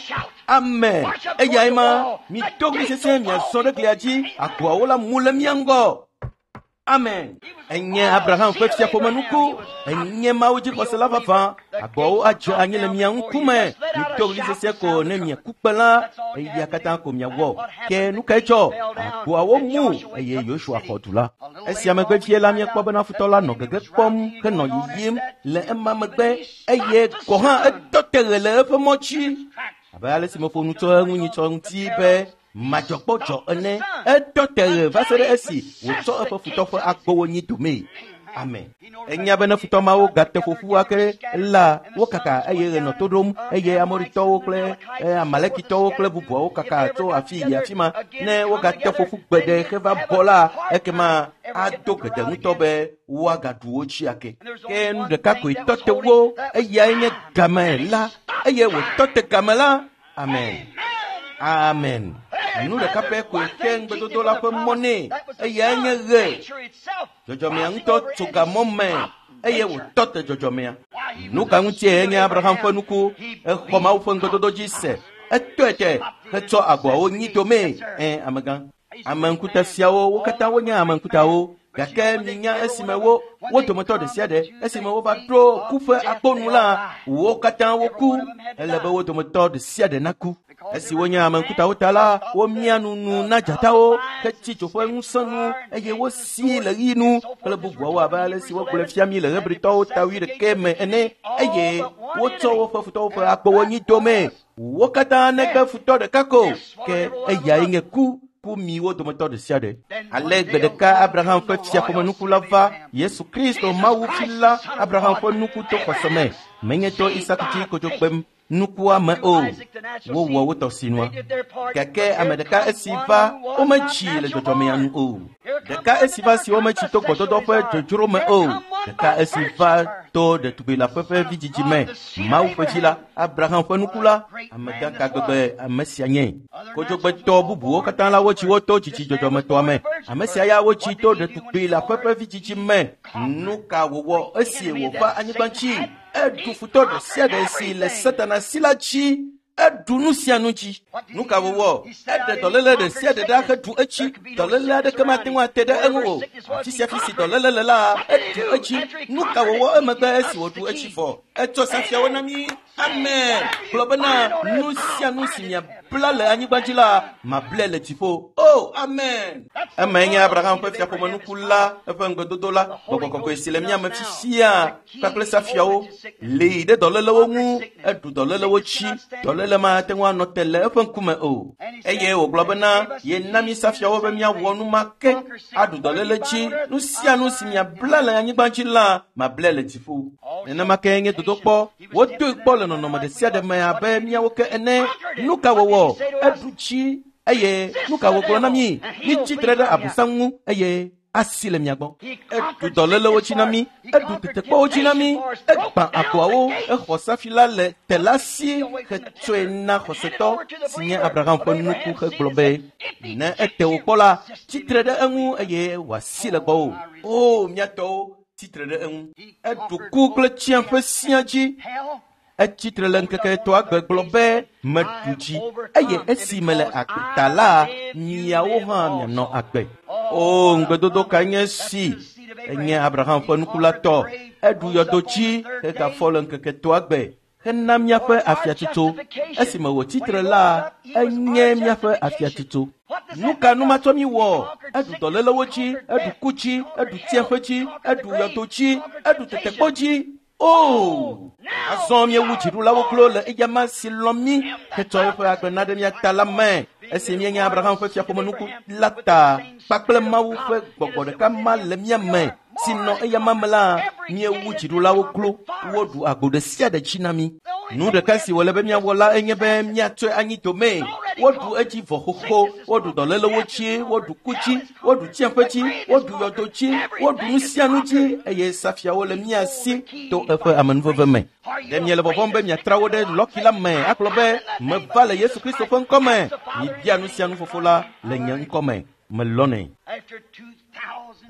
ame eyae ma mido ɣli sesĩe miazɔ ɖe glia dzi agboawo la mu le mia ŋgɔ. Amen. Enye Abraham ƒe fiaƒomenuku. Enye Mawu dzixɔsela vavã. Agboawo adze anyi le mia ŋkume. Mido ɣli sesĩe ko ne miaku kpẽ la, eya katã ko miawɔ. Ke nu kae dzɔ? Agboawo mu eye Yosua xɔ du la. Esia megbe vie la, míekpɔ bena futɔ la nɔ gege kpɔm henɔ yiyim le ema megbe eye gɔ̃ hã etɔ te ɣe le eƒe mɔ dzi. Abe ale si meƒo nu tso eŋu nyitsɔ ŋuti be madzɔkpɔdzɔ ene, etɔ te ɣe va se ɖe esi wòtsɔ eƒe futɔ ƒe agbowo nyi domee. Amen. Enya be ne futɔ mawo gate ƒoƒu ake la, wokaka eye ɣe nɔ to ɖom eye Amoritɔwo kple Amalekitɔwo kple bubuawo kaka tso afi yi afi ma. Ne wogate ƒoƒu gbeɖe heva bɔ la, ekema ado gede ŋutɔ be woagaɖu wo dzi ake. Ke nu ɖeka koe tɔ te wo, eyae nye game la, eye wòtɔ te game la. Amen. Amen. Nu ɖeka pɛ koe xe ŋugbedodo la ƒe mɔ nɛ, eyae nye ɣe. Dzɔdzɔmea ŋutɔ tso gamɔ me eye wòtɔ te dzɔdzɔmea. Nu ka ŋutie nye Abraham ƒe nuku? Exɔ Mawu ƒe ŋugbedodo dzi se. Etɔe te hetsɔ agboawo nyi domee. Amegã. Ame ŋkuta siawo, wo katã wonye ame ŋkutawo. Gake minya esime wo dometɔ ɖe sia ɖe, esime wova ɖo ku ƒe akponu la, wo katã woku. Ele be wo dometɔ ɖe sia ɖe naku. Esi wonye ame ŋkutawo ta la, womia nu na dzatawo, hetsi dzo ƒe ŋusẽ nu, eye wosi le ɣi nu kple bubuawo abe ale si wogblɔe fia mi le Hebritɔwo ta 11 me ene, eye wotsɔ woƒe futɔwo ƒe akpowo nyi domee. Wo katã negbe futɔ ɖeka ko, ke eyae nye ku. Ku mi wo dometɔ ɖe sia ɖe. Ale gbe ɖeka Abraham ƒe fiaƒomenuku la va, Yesu Kristo Mawu vi la, Abraham ƒe nuku to xɔse me. Menye to Isak dzi kodzogbem nukua me o. Wowɔ wo tɔ sinua. Gake ame ɖeka esi va, wometsi le dzɔdzɔmea nu o. Ɖeka esi va si wometsi to gbɔdɔdɔ ƒe dzodzro me o. Ɖeka esi va to ɖetugbi la ƒe vidzidzi me. Mawu ƒe vi la, Abraham ƒe nuku la, amegã ka gbegbe ame sia nye. Kodzogbetɔ bubuwo katã la wotsi wo to dzidzi dzɔdzɔmetɔa me. Ame sia ya wotsi to ɖetugbi la ƒe vidzidzi me. Nu ka wòwɔ esi wòva anyigba dzi? Eɖu futɔ ɖe sia ɖe si le Satana si la dzi. Eɖu nu sia nu dzi. Nu ka wòwɔ? Eɖe dɔléle ɖe sia ɖe ɖa heɖu etsi. Dɔléle aɖeke mate ŋu ate ɖe eŋu o. Afi sia fi si dɔléle le la, eɖu etsi. Nu ka wòwɔ emegbe esi wòɖu etsi vɔ? Etsɔ safiawo na mí. Amen. Gblɔ bena nu sia nu si miabla le anyigba dzi la, mablae le dziƒo. Oh, amen. Emae nye Abraham ƒe fiaƒomenuku la, eƒe ŋugbedodo la, gbɔgbɔ kɔkɔe si le mía me fifia kpakple safiawo lée ɖe dɔlélewo ŋu, eɖu dɔlélewo dzi. Dɔléle mate ŋu anɔ te le eƒe ŋkume o. Eye wògblɔ bena yena mí safiawo be míawɔ nu ma ke, aɖu dɔléle dzi. Nu sia nu si miabla le anyigba dzi la, mablae le dziƒo. Nenema ke nye dodokpɔ. Wodoe kpɔ le nɔnɔme ɖe sia ɖe me abe míawo ke ene. Nu ka wòwɔ? Eɖu dzi eye nu ka wògblɔ na mí? Mitsi tre ɖe Abosam ŋu eye asi le mia gbɔ. Eɖu dɔlélewo dzi na mí, eɖu tetekpɔwo dzi na mí, egbã agboawo, exɔ safi la le te la si hetsɔe na xɔsetɔ si nye Abraham ƒe nuku hegblɔ be, ne ete wò kpɔ la, tsi tre ɖe eŋu eye wòasi le gbɔwò. O, mía tɔwo, tsi tre ɖe eŋu. Eɖu ku kple tsiaƒe sia dzi. Etsi tre le ŋkeke etɔ̃a gbe gblɔ be, meɖu dzi, eye esi mele agbe ta la, miawo hã mianɔ agbe. O, ŋugbedodo kae nye esi? Enye Abraham ƒe nuku la tɔ. Eɖu yɔdo dzi hegafɔ le ŋkeke etɔ̃a gbe hena míaƒe afiatsotso. Esime wòtsi tre la, enye míaƒe afiatsotso. Nu ka nu matsɔ mí wɔ? Eɖu dɔlélewo dzi, eɖu ku dzi, eɖu tsiaƒe dzi, eɖu yɔdo dzi, eɖu tetekpɔ dzi. O! Azɔ míewu dziɖulawo klo le eyama si lɔ̃ mí hetsɔ eƒe agbe na ɖe mía ta la me. Esi míenye Abraham ƒe fiaƒomenuku la ta kpakple Mawu ƒe gbɔgbɔ ɖeka ma le mía me si nɔ eyama me la, míewu dziɖulawo klo, woɖu agbo ɖe sia ɖe dzi na mí. Nu ɖeka si wòle be míawɔ la enye be míatsɔe anyi domee. Woɖu edzi vɔ xoxo, woɖu dɔlélewo dzi, woɖu ku dzi, woɖu tsiaƒe dzi, woɖu yɔdo dzi, woɖu nu sia nu dzi, eye safiawo le mía si to eƒe amenuveve me. Ɖe miele vɔvɔ̃m be miatra wo ɖe lɔki la me agblɔ be, meva le Yesu Kristo ƒe ŋkɔ me. Mibia nu sia nu fofo la le nye ŋkɔ me. Melɔnɛ.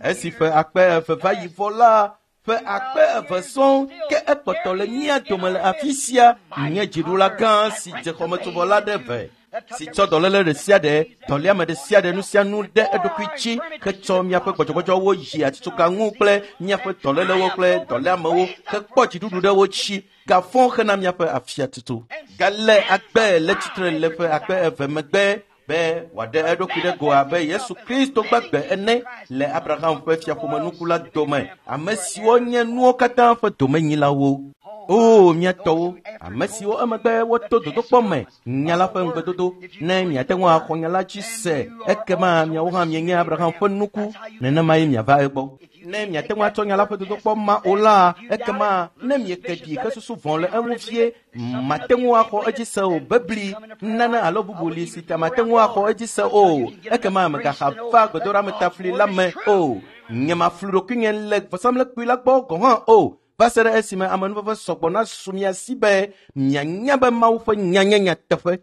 Esi ƒe akpe eve va yi vɔ la, ƒe akpe eve sɔŋ ke ekpɔtɔ le mía dome le afi sia, nye dziɖula gã si dze xɔmetsovɔ la ɖe ve, si tsɔ dɔléle ɖe sia ɖe, dɔléame ɖe sia ɖe, nu sia nu ɖe eɖokui dzi hetsɔ míaƒe gbɔdzɔgbɔdzɔwo yi atitsoga ŋu kple míaƒe dɔlélewo kple dɔléamewo hekpɔ dziɖuɖu ɖe wo dzi, gafɔ hena míaƒe afiatsotso. Gale agbe le tsitre le ƒe akpe eve megbe be wòaɖe eɖokui ɖe go abe Yesu Kristo gbagbe ene le Abraham ƒe fiaƒomenuku la dome, ame siwo nye nuwo katã ƒe domenyilawo. O, mía tɔwo, ame siwo emegbe woto dodokpɔ me, nya la ƒe ŋugbedodo, ne miate ŋu axɔ nya la dzi se, ekema miawo hã mienye Abraham ƒe nuku, nenemae miava egbɔ. Ne miate ŋu atsɔ nya la ƒe dodokpɔ ma o la, ekema ne mieke ɖi hesusu vɔ̃ le eŋu vie, mate ŋu axɔ edzi se o bebli nane alo bubu li si ta mate ŋu axɔ edzi se o, ekema megaxa va gbedoɖametafli la me o. Nye maflu ɖokuinye le vɔsamlekpui la gbɔ gɔ̃ hã o, va se ɖe esime amenuveve sɔgbɔ nasu mia si be mianya be Mawu ƒe nya nye nyateƒe.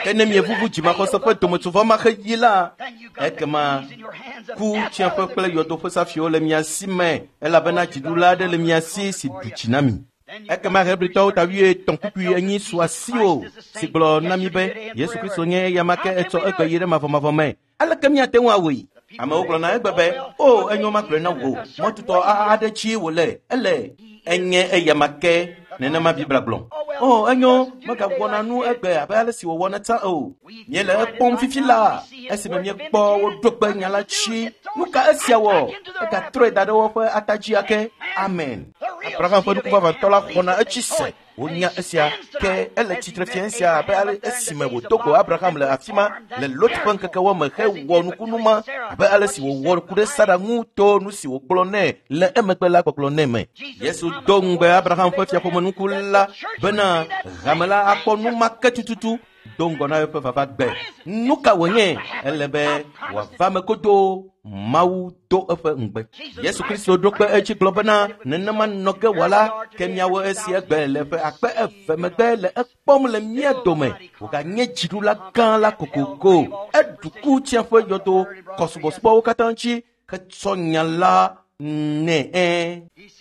Ke ne mievuvu dzimaxɔse ƒe dometsovɔ ma xeɣi la, ekema ku tsiẽƒe kple yɔdo ƒe safiwo le mia si me, elabena dziɖula aɖe le mia si si ɖu dzi na mi. Ekema Hebritɔwo ta 8:4 su asiwò, si gblɔ na mi be Yesu Kristo nye eyama ke etsɔ egbe yi ɖe mavɔmavɔ me. Aleke míate ŋu awɔe? Amewo gblɔna egbe be, o, enyo magblɔe na wò, mɔtutɔ aɖe dzie wòle, ele. Enye eyama ke, nenema Biblia gblɔ. O, enyo, megawɔna nu egbe abe ale si wòwɔna tsã o. Míele ekpɔm fifi la, esime míekpɔ woɖo kpe nya la dzi. Nu ka esia wɔ? Egatrɔe da ɖe woƒe ata dzi ake. Amen. Abraham ƒe nuku vavãtɔ la xɔna etsi se. Wonya esia ke ele tsitre fia esia abe ale esime wòdo go Abraham le afi ma le Lot ƒe ŋkekewo me hewɔ nukunu ma abe ale si wòwɔ ku ɖe Sara ŋu to nu si wògblɔ nɛ le emegbe la gbɔgblɔ nɛ me. Yesu do ŋugbe Abraham ƒe fiaƒomenuku la bena hame la akpɔ nu ma ke tututu do ŋgɔ na eƒe vava gbe. Nu ka wònye? Ele be wòava me godoo. Mawu do eƒe ŋugbe. Yesu Kristo ɖo kpe edzi gblɔ bena nenema nɔ ge wòala, ke míawo esi egbe le ƒe akpe eve megbe le ekpɔm le mía dome. Wòganye dziɖula gã la kokoko. Eɖu ku tsiẽƒe yɔdo kɔsubɔsubɔwo katã dzi hetsɔ nya la nɛ.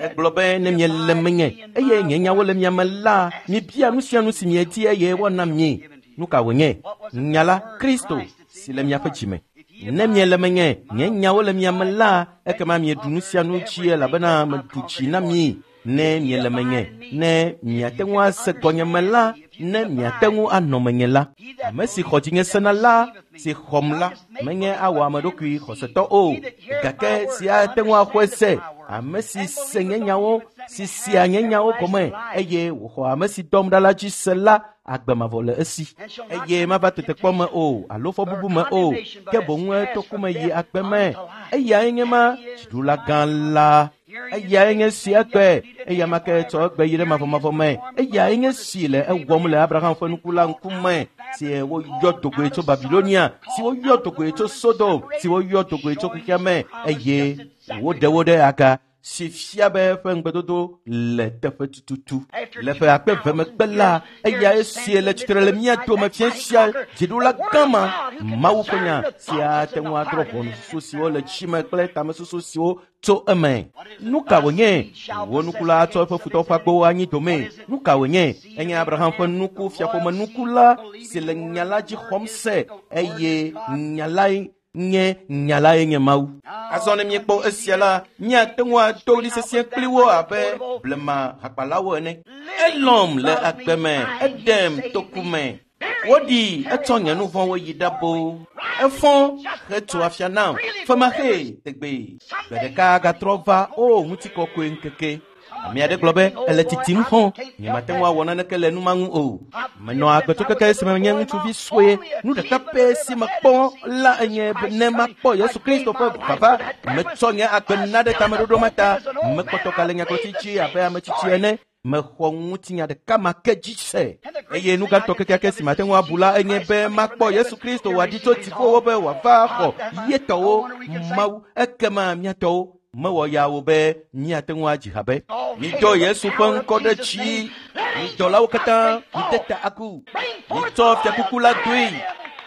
Egblɔ be ne miele menye eye nye nyawo le mia me la, mibia nu sia nu si miedi eye woana mi. Nu ka wònye? Nya la, Kristo, si le miaƒe dzime. Ne miele menye, nye nyawo le mia me la, ekema mieɖu nu sia nu dzi elabena meɖu dzi na mi. Ne miele menye, ne miate ŋu ase gɔnyeme la, ne miate ŋu anɔ menye la. Ame si xɔ dzinye sena la, si xɔm la, menye awɔ ame ɖokui xɔsetɔ o, gake si ate ŋu axɔe se, ame si se nye nyawo, si sea nye nyawo gɔme, eye wòxɔ ame si dɔm ɖa la dzi se la, agbe mavɔ le esi. Eye mava tetekpɔ me o, alo fɔbubu me o, ke boŋ eto ku me yi agbe me. Eyae nye ma dziɖula gã la. Eyae nye si egbe, eya ma ke tsɔ egbe yi ɖe mavɔmavɔ me. Eyae nye si le ewɔm le Abraham ƒe nuku la ŋkume, si woyɔ dogoe tso Babilonia, si woyɔ dogoe tso Sodom, si woyɔ dogoe tso xexea me, eye woɖe wo ɖe aga, si fia be eƒe ŋugbedodo le teƒe tututu. Le ƒe akpe eve megbe la, eyae sie le tsitre le mía dome fia sia dziɖula gã ma, Mawu ƒe nya si ate ŋu adrɔ̃ ʋɔnususu siwo le tsi me kple tamesusu siwo tso eme. Nu ka wònye? Wò nuku la atsɔ eƒe futɔwo ƒe agbowo anyi dome. Nu ka wònye? Enye Abraham ƒe nuku, fiaƒomenuku la, si le nya la dzi xɔm se, eye nya lae nye nya lae nye Mawu. Azɔ ne míekpɔ esia la, míate ŋu ado ɣli sesĩe kpli wo abe blema hakpalawo ene. Elɔ̃m le agbe me, eɖem to ku me. Woɖi etsɔ nye nu vɔ̃wo yi ɖabo. Efɔ hetso afia nam femaxee tegbee. Gbe ɖeka gatrɔ va o ŋutikɔkɔe ŋkeke. Ame aɖe gblɔ be ele titim xɔ, nyemate ŋu awɔ naneke le nu ma ŋu o. Menɔ agbe tso keke esime menye ŋutsuvi sue. Nu ɖeka pɛ si mekpɔ la enye be ne makpɔ Yesu Kristo ƒe vava. Metsɔ nye agbe na ɖe tameɖoɖo ma ta. Mekpɔtɔ gale nyagblɔtsi dzi abe ame tsitsi ene. Mexɔ ŋutinya ɖeka ma ke dzi se. Eye nu gãtɔ kekeake si mate ŋu abu la enye be makpɔ Yesu Kristo wòaɖi tso dziƒowo be wòava xɔ ye tɔwo Mawu, ekema mía tɔwo mewɔ ya wo be míate ŋu adzi ha be mido Yesu ƒe ŋkɔ ɖe dzi, mi dɔlawo katã mide ta agu, mitsɔ fiakuku la doe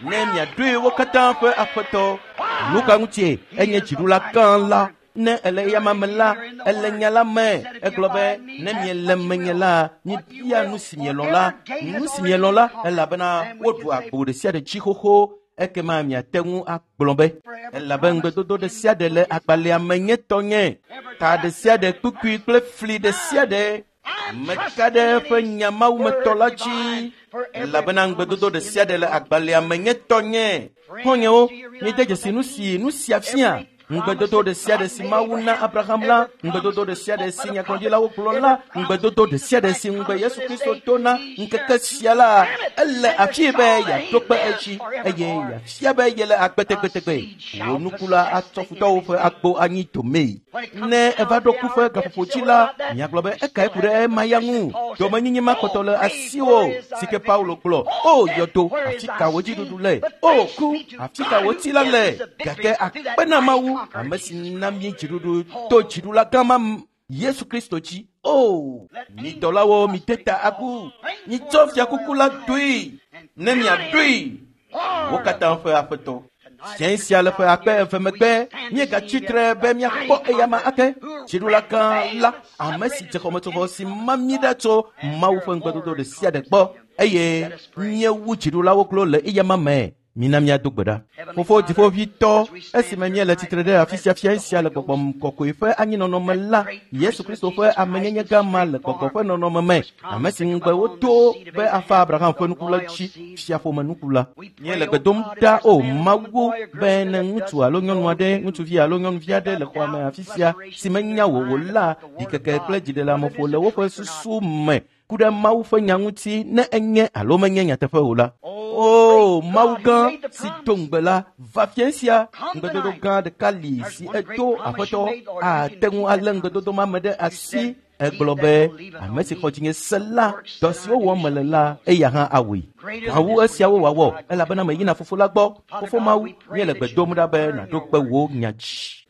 ne miaɖoe wo katã ƒe aƒetɔ. Nu ka ŋutie enye dziɖula gã la? Ne ele eyama me la, ele nya la me. Egblɔ be ne miele menye la, mibia nu si mielɔ̃ la, nu si mielɔ̃ la, elabena woɖu agbo ɖe sia ɖe dzi xoxo. Ekema miate ŋu agblɔ be elabe ŋugbedodo ɖe sia ɖe le agbalẽa me nye tɔnye, ta ɖe sia ɖe, kpukpui kple fli ɖe sia ɖe. Meka ɖe eƒe nya mawumetɔ la dzi, elabena ŋugbedodo ɖe sia ɖe le agbalẽa me nye tɔnye. Xɔ̃nyewo, miede dzesi nu si nu sia fia. Ŋugbedodo ɖe sia ɖe si Mawu na Abraham la, ŋugbedodo ɖe sia ɖe si nyagblɔɖilawo gblɔ la, ŋugbedodo ɖe sia ɖe si ŋugbe Yesu Kristo do na ŋkeke sia la, ele afi be yeaɖo kpe edzi eye yeafia be yele agbe tegbetegbe. Wò nuku la atsɔ futɔwo ƒe agbo anyi domee. Ne eva ɖo ku ƒe gaƒoƒo dzi la, miagblɔ be ekae ku ɖe ema ya ŋu. Domenyinyi ma kpɔtɔ le asiwò si ke Paulo gblɔ. O yɔdo, afi ka wò dziɖuɖu le? O ku, afi ka wò tsi la le? Gake akpe na Mawu, ame si na mí dziɖuɖu to dziɖula gã ma Yesu Kristo dzi. O, mi dɔlawo, mide ta agu, mitsɔ fiakuku la doe, ne miaɖoe wo katã ƒe aƒetɔ. Fiẽ sia le ƒe akpe eve megbe, míegatsi tre be míakpɔ eyama ake. Dziɖula gã la, ame si dze xɔmetsovɔ si ma mí ɖa tso Mawu ƒe ŋugbedodo ɖe sia ɖe gbɔ, eye míewu dziɖulawo klo le eyama me. Mina míado gbe ɖa. Fofo dziƒoʋĩtɔ, esime míele tsitre ɖe afi sia fia sia le gbɔgbɔ kɔkɔe ƒe anyinɔnɔ me la, Yesu Kristo ƒe amenyenye gã ma le gbɔgbɔ ƒe nɔnɔme me, ame si ŋugbe wodo be afa Abraham ƒe nuku la dzi, fiaƒome nuku la. Míele gbe dom ɖa o Mawu be ne ŋutsu alo nyɔnu aɖe, ŋutsuvi alo nyɔnuvi aɖe le xɔa me afi sia si menya wò o la, ɖikeke kple dziɖeleameƒo le woƒe susu me ku ɖe Mawu ƒe nya ŋuti ne enye alo menye nyateƒe o la. O Mawu gã si do ŋugbe la, va fiẽ sia. Ŋugbedodo gã ɖeka li si edo Aƒetɔ ate ŋu alé ŋugbedodo ma me ɖe asi. Egblɔ be ame si xɔ dzinye se la, dɔ siwo wɔm mele la, eya hã awɔe. Gã wu esiawo wòawɔ, elabena meyina Fofo la gbɔ. Fofo Mawu, míele gbe dom ɖa be nàɖo kpe wò nya dzi.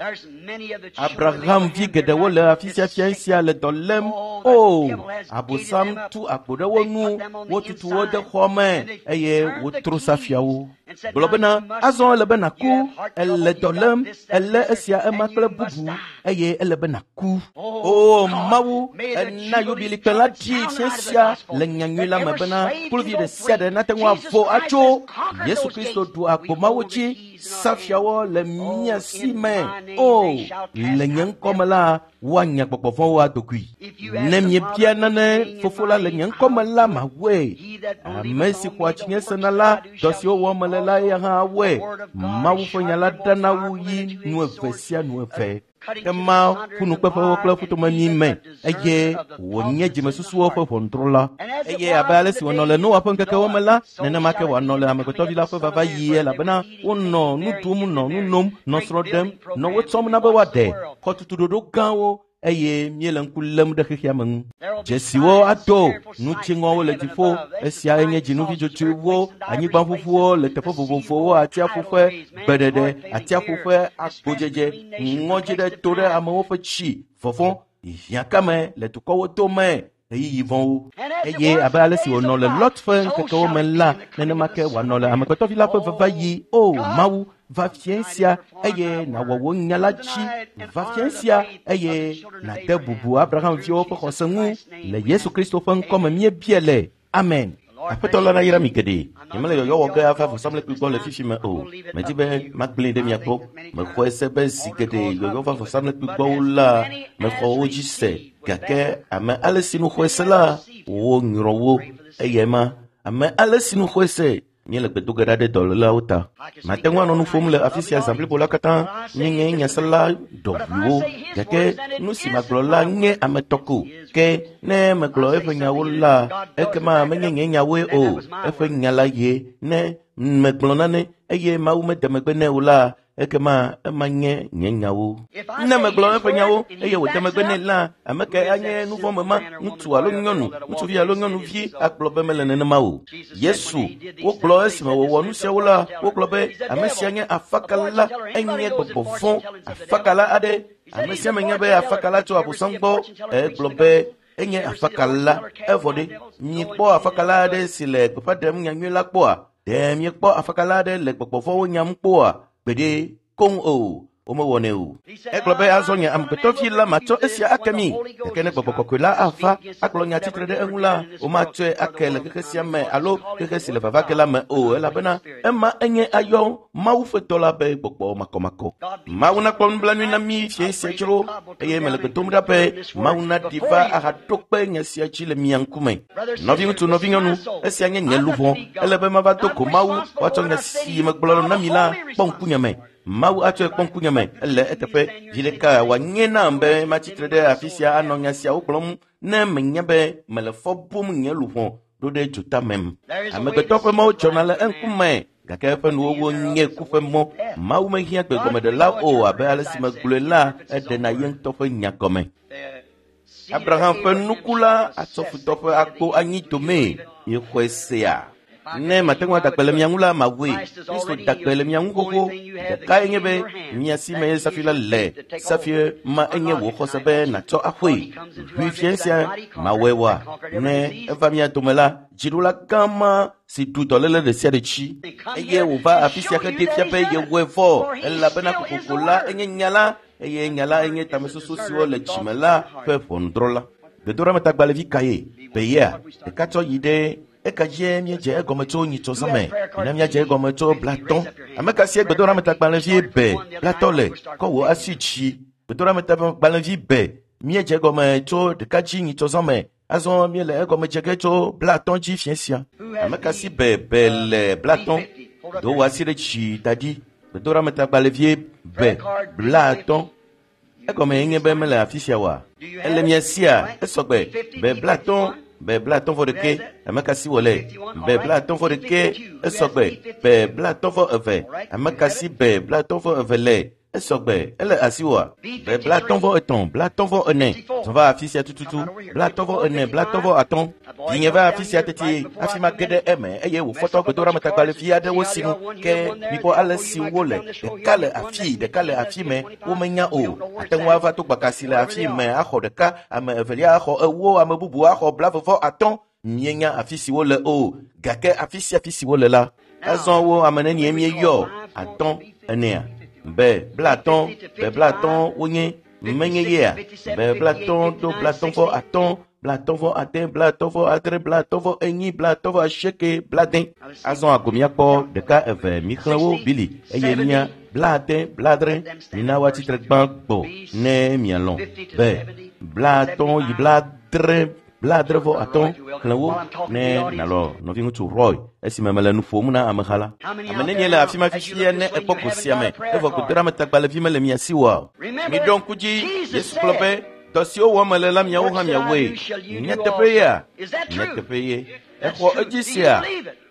Abraham vi geɖewo le afi sia fia sia le dɔ lém. O, Abosam tu agbo ɖe wo nu, wotutu wo de xɔ me eye wotro safiawo. Gblɔ bena, azɔ ele be nàku, ele dɔ lém, elé esia ema kple bubu eye ele be nàku. O Mawu, ena yubilikpe la dzi fia sia le nyanyui la me bena kluvi ɖe sia ɖe nate ŋu avo atso. Yesu Kristo ɖu agbo mawo dzi, safiawo le mía si me. O, le nye ŋkɔ me la, woanya gbɔgbɔ vɔ̃wo adogoe. Ne miebia nane Fofo la le nye ŋkɔ me la, mawɔe. Ame si xɔa dzinye sena la, dɔ siwo wɔm mele la, eya hã awɔe. Mawu ƒe nya la ɖana wu yi nu eve sia nu eve. Ema ƒunukpeƒewo kple ƒutomemi me eye wònye dzimesusuwo ƒe ʋɔnudrɔ̃la. Eye abe ale si wònɔ le Noa ƒe ŋkekewo me la, nenema ke wòanɔ le Amegbetɔvi la ƒe vava yie, elabena wonɔ nu ɖum, nɔ nu nom, nɔ srɔ̃ ɖem, nɔ wo tsɔm na be woaɖe xɔtutuɖoɖo gãwo eye míele ŋku lém ɖe xexea me ŋu. Dzesiwo ado, nu dziŋɔwo le dziƒo, esiae nye dzinuvi dzodzoewo, anyigbaʋuʋuwo le teƒe vovovowo, atsiaƒu ƒe gbeɖeɖe, atsiaƒu ƒe agbodzedze, ŋɔdzi ɖe to ɖe amewo ƒe tsi, vɔvɔ̃, hiãkame le dukɔwo dome, ɣeyiɣi vɔ̃wo. Eye abe ale si wònɔ le Lot ƒe ŋkekewo me la, nenema ke wòanɔ le Amegbetɔvi la ƒe vava yi. O Mawu, va fiẽ sia eye nàwɔ wò nya la dzi. Va fiẽ sia eye nàde bubu Abraham viwo ƒe xɔse ŋu. Le Yesu Kristo ƒe ŋkɔ me míebia le. Amen. Aƒetɔ la nayra mi geɖe. Nyemele yɔyɔ wɔ ge ava vɔsamlekpui gbɔ le fifi me o. Medi be magblẽe ɖe mia gbɔ. Mexɔe se be zi geɖe yɔyɔ va vɔsamlekpui gbɔwo la, mexɔ wo dzi se. Gake ame ale si nu xɔe se la, wonyrɔ wo. Eyae ma, ame ale si nu xɔe se. Míele gbe do ge ɖa ɖe dɔlélawo ta. Mate ŋu anɔ nu ƒom le afi sia zã blibo la katã. Míenye nyasela ɖɔʋuiwo. Gake nu si magblɔ la nye ame tɔ ko. Ke ne megblɔ eƒe nyawo la, ekema menye nye nyawoe o. Eƒe nya la ye. Ne megblɔ nane eye Mawu mede megbe nɛ o la, ekema ema nye nye nyawo. Ne megblɔ eƒe nyawo eye wòde megbe nɛ la, ame kae anye nu vɔ̃ me ma, ŋutsu alo nyɔnu, ŋutsuvi alo nyɔnuvi agblɔ be mele nenema o. Yesu, wogblɔ esime wòwɔ nu siawo la, wogblɔ be ame sia nye afakala, enye gbɔgbɔ vɔ̃, afakala aɖe. Ame sia ame nya be afakala tso Abosam gbɔ. Egblɔ be enye afakala. Evɔ ɖe, miekpɔ afakala aɖe si le gbeƒã ɖem nyanyui la kpɔa? Ɖe miekpɔ afakala aɖe le gbɔgbɔ vɔ̃wo nyam kpɔa? Gbeɖe koŋ o, womewɔnɛ o. Egblɔ be azɔ nye Amegbetɔvi la matsɔ esia ake mi. Gake ne gbɔgbɔ kɔkɔe la ava agblɔ nya tsitre ɖe eŋu la, womatsɔe ake le xexe sia me alo xexe si le vava ge la me o, elabena ema enye ayɔ Mawu ƒe dɔla be gbɔgbɔ makɔmakɔ. Mawu nakpɔ nublanui na mí fiẽ sia dzro, eye mele gbe dom ɖa be Mawu naɖi va ahaɖo kpe nya sia dzi le mia ŋkume. Nɔviŋutsu, nɔvinyɔnu, esia nye nye luʋɔ. Ele be mava do go Mawu woatsɔ nya si megblɔ na mi la kpɔ ŋkunye me. Mawu atsɔe kpɔ ŋkunye me ele eteƒe. Dzi ɖeka wòanye nam be matsitre ɖe afi sia anɔ nya siawo gblɔm ne menya be mele fɔ bum nye luʋɔ ɖo ɖe dzotamem. Amegbetɔ ƒe mɔwo dzɔna le eŋkume gake eƒe nuwɔwɔ nye ku ƒe mɔ. Mawu mehiã gbegɔmeɖela o abe ale si megblɔe la eɖena ye ŋutɔ ƒe nya gɔme. Abraham ƒe nuku la atsɔ futɔ ƒe akpo anyi domee yexɔe sea. Ne mate ŋu adagbe le mia ŋu la mawɔe. Kristo dagbe le mia ŋu xoxo. Ɖekae nye be mia si me safi la le. Safi ma enye wò xɔse be nàtsɔ axɔe. Ʋui fia sia mawɔe wa. Ne eva mia dome la, dziɖula gã ma si ɖu dɔléle ɖe sia ɖe dzi eye wòva afi sia heɖe fia be yewɔe vɔ elabena kokoko la enye nya la eye nya la enye tamesusu siwo le dzime la ƒe ʋɔnudrɔ̃la. Gbedoɖametagbalẽvi kae? Beyea ɖeka tsɔ yi ɖe eka dzie míedze egɔme tso nyitsɔzã me. Mina míadze egɔme tso 50. Ame ka sie gbedoɖametagbalẽvi be 50 le? Kɔ wò asi dzi. Gbedoɖametagbalẽvi be míedze egɔme tso ɖeka dzi nyitsɔzã me. Azɔ míele egɔme dze ge tso 50 dzi fia sia. Ame ka si be be le 50? Do wò asi ɖe dzi da ɖi. Gbedoɖametagbalẽvie be 50. Egɔme nye be mele afi sia oa? Ele mia sia esɔgbe be 50 be 51. Ame ka si wòle? Be 51 esɔgbe be 52. Ame ka si be 52 le? Esɔgbe ele asi woa? Be 53 54. Zɔ va afi sia tututu. 54 55. Vinye va afi sia teti hafi mage ɖe eme eye wòfɔtɔ gbedoɖametagbalẽvi aɖewo sinu ke mikpɔ ale si wole. Ɖeka le afii, ɖeka le afi me, womenya o. Ate ŋu ava to gbakasi le afi me axɔ ɖeka, ame evelia axɔ 40, ame bubu axɔ 45. Mienya afi si wole o, gake afi sia afi si wole la, azɔ wo ame nenie míeyɔ? 5, 4, be 50, be 50 wonye menye yea? Be 50 ɖo 55, 56, 57, 58, 59, 80. Azɔ ago míakpɔ ɖeka eve mixlẽ wo bili eye mía 80, 70. Mina woatsitre gbã gbɔ ne mialɔ̃. Be 50 yi 70, 75 xlẽ wo ne nàlɔ nɔviŋutsu Roy esime mele nu ƒom na ameha la. Ame nenie le afi ma fifia ne ekpɔ go sia me evɔ gbedoɖametagbalẽvi mele mia si oa? Miɖo ŋku dzi, Yesu gblɔ be dɔ siwo wɔm mele la miawo hã miawɔe. Nyateƒe yea? Nyateƒe ye. Exɔ edzi sia?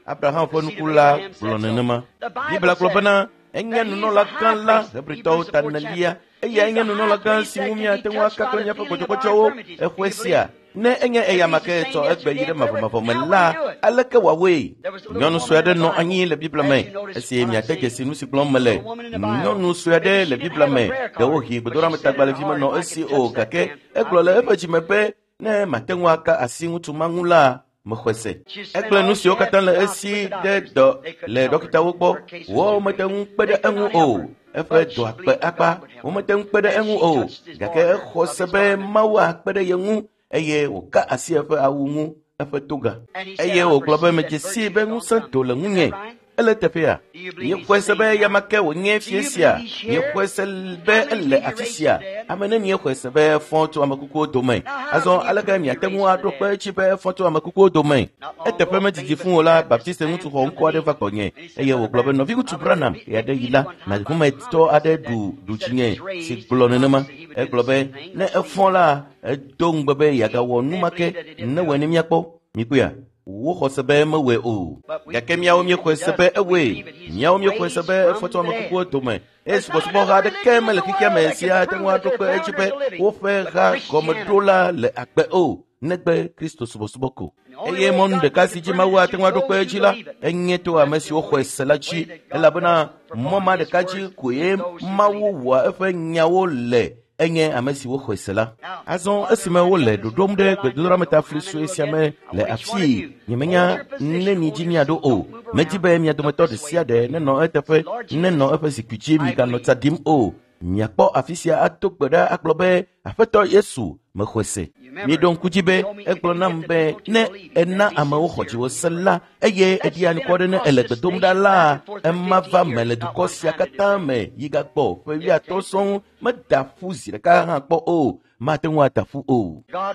Abraham ƒe nuku la gblɔ nenema. Biblia gblɔ bena enye nunɔla gã la Hebritɔwo ta 4. Eyae nye nunɔla gã si ŋu míate ŋu aka kple míaƒe gbɔdzɔgbɔdzɔwo. Exɔe sia? Ne enye eyama ke tsɔ egbe yi ɖe mavɔmavɔ me la, aleke wòawɔe? Nyɔnu sue aɖe nɔ anyi le Biblia me esi miade dzesi nu si gblɔm mele. Nyɔnu sue aɖe le Biblia me, ɖewohĩ gbedoɖametagbalẽvi menɔ esi o, gake egblɔ le eƒe dzime be ne mate ŋu aka asi ŋutsu ma ŋu la, mexɔe se. Egblẽ nu siwo katã le esi ɖe dɔ le ɖɔkitawo gbɔ. Womete ŋu kpe ɖe eŋu o. Eƒe dɔa kpe akpa. Womete ŋu kpe ɖe eŋu o. Gake exɔ se be Mawu akpe ɖe ye ŋu eye wòka asi eƒe awu ŋu, eƒe toga. Eye wògblɔ be medze sii be ŋusẽ do le ŋunye. Ele teƒea? Míexɔe se be eyama ke wònye fie sia. Míexɔe se be ele afi sia. Ame nenie xɔe se be efɔ tso ame kukuwo dome? Azɔ aleke miate ŋu aɖo kpe edzi be efɔ tso ame kukuwo dome? Eteƒe medidi fũ o la, Baptiste ŋutsu xɔ ŋkɔ aɖe va gbɔnye eye wògblɔ be nɔviŋutsu Branham ɣeaɖeɣi yi la, nahumetɔ aɖe ɖu dzinye si gblɔ nenema. Egblɔ be ne efɔ la, edo ŋugbe be yeagawɔ nu ma ke ne wɔe ne míakpɔ. Mikpɔea? Woxɔ se be mewɔe o. Gake míawo míexɔe se be ewɔe. Míawo míexɔe se be efɔ tso ame kukuwo dome. Eye subɔsubɔha aɖeke mele xexea me si ate ŋu aɖo kpe edzi be woƒe ha gɔmeɖola le agbe o, negbe Kristo subɔsubɔ ko. Eye mɔnu ɖeka si dzi Mawu ate ŋu aɖo kpe edzi la, enye to ame siwo xɔe se la dzi, elabena mɔ ma ɖeka dzi koe Mawu wɔa eƒe nyawo le. Enye ame siwo xɔe se la. Azɔ esime wole ɖoɖom ɖe gbedoɖametafli sue sia me le afii, nyemenya neni dzi miaɖo o. Medi be mia dometɔ ɖe sia ɖe nenɔ eteƒe, nenɔ eƒe zikpui dzi, miganɔ tsa ɖim o. Miakpɔ afi sia ato gbe ɖa agblɔ be, Aƒetɔ Yesu, mexɔe se. Miɖo ŋku dzi be egblɔ nam be ne ena amewo xɔ dziwò se la, eye eɖi anukware ne ele gbe dom ɖa la, ema va me le dukɔ sia katã me yi gagbɔ ƒe 50 sɔŋ meda ƒu zi ɖeka hã kpɔ o. mate ŋu ada ƒu o.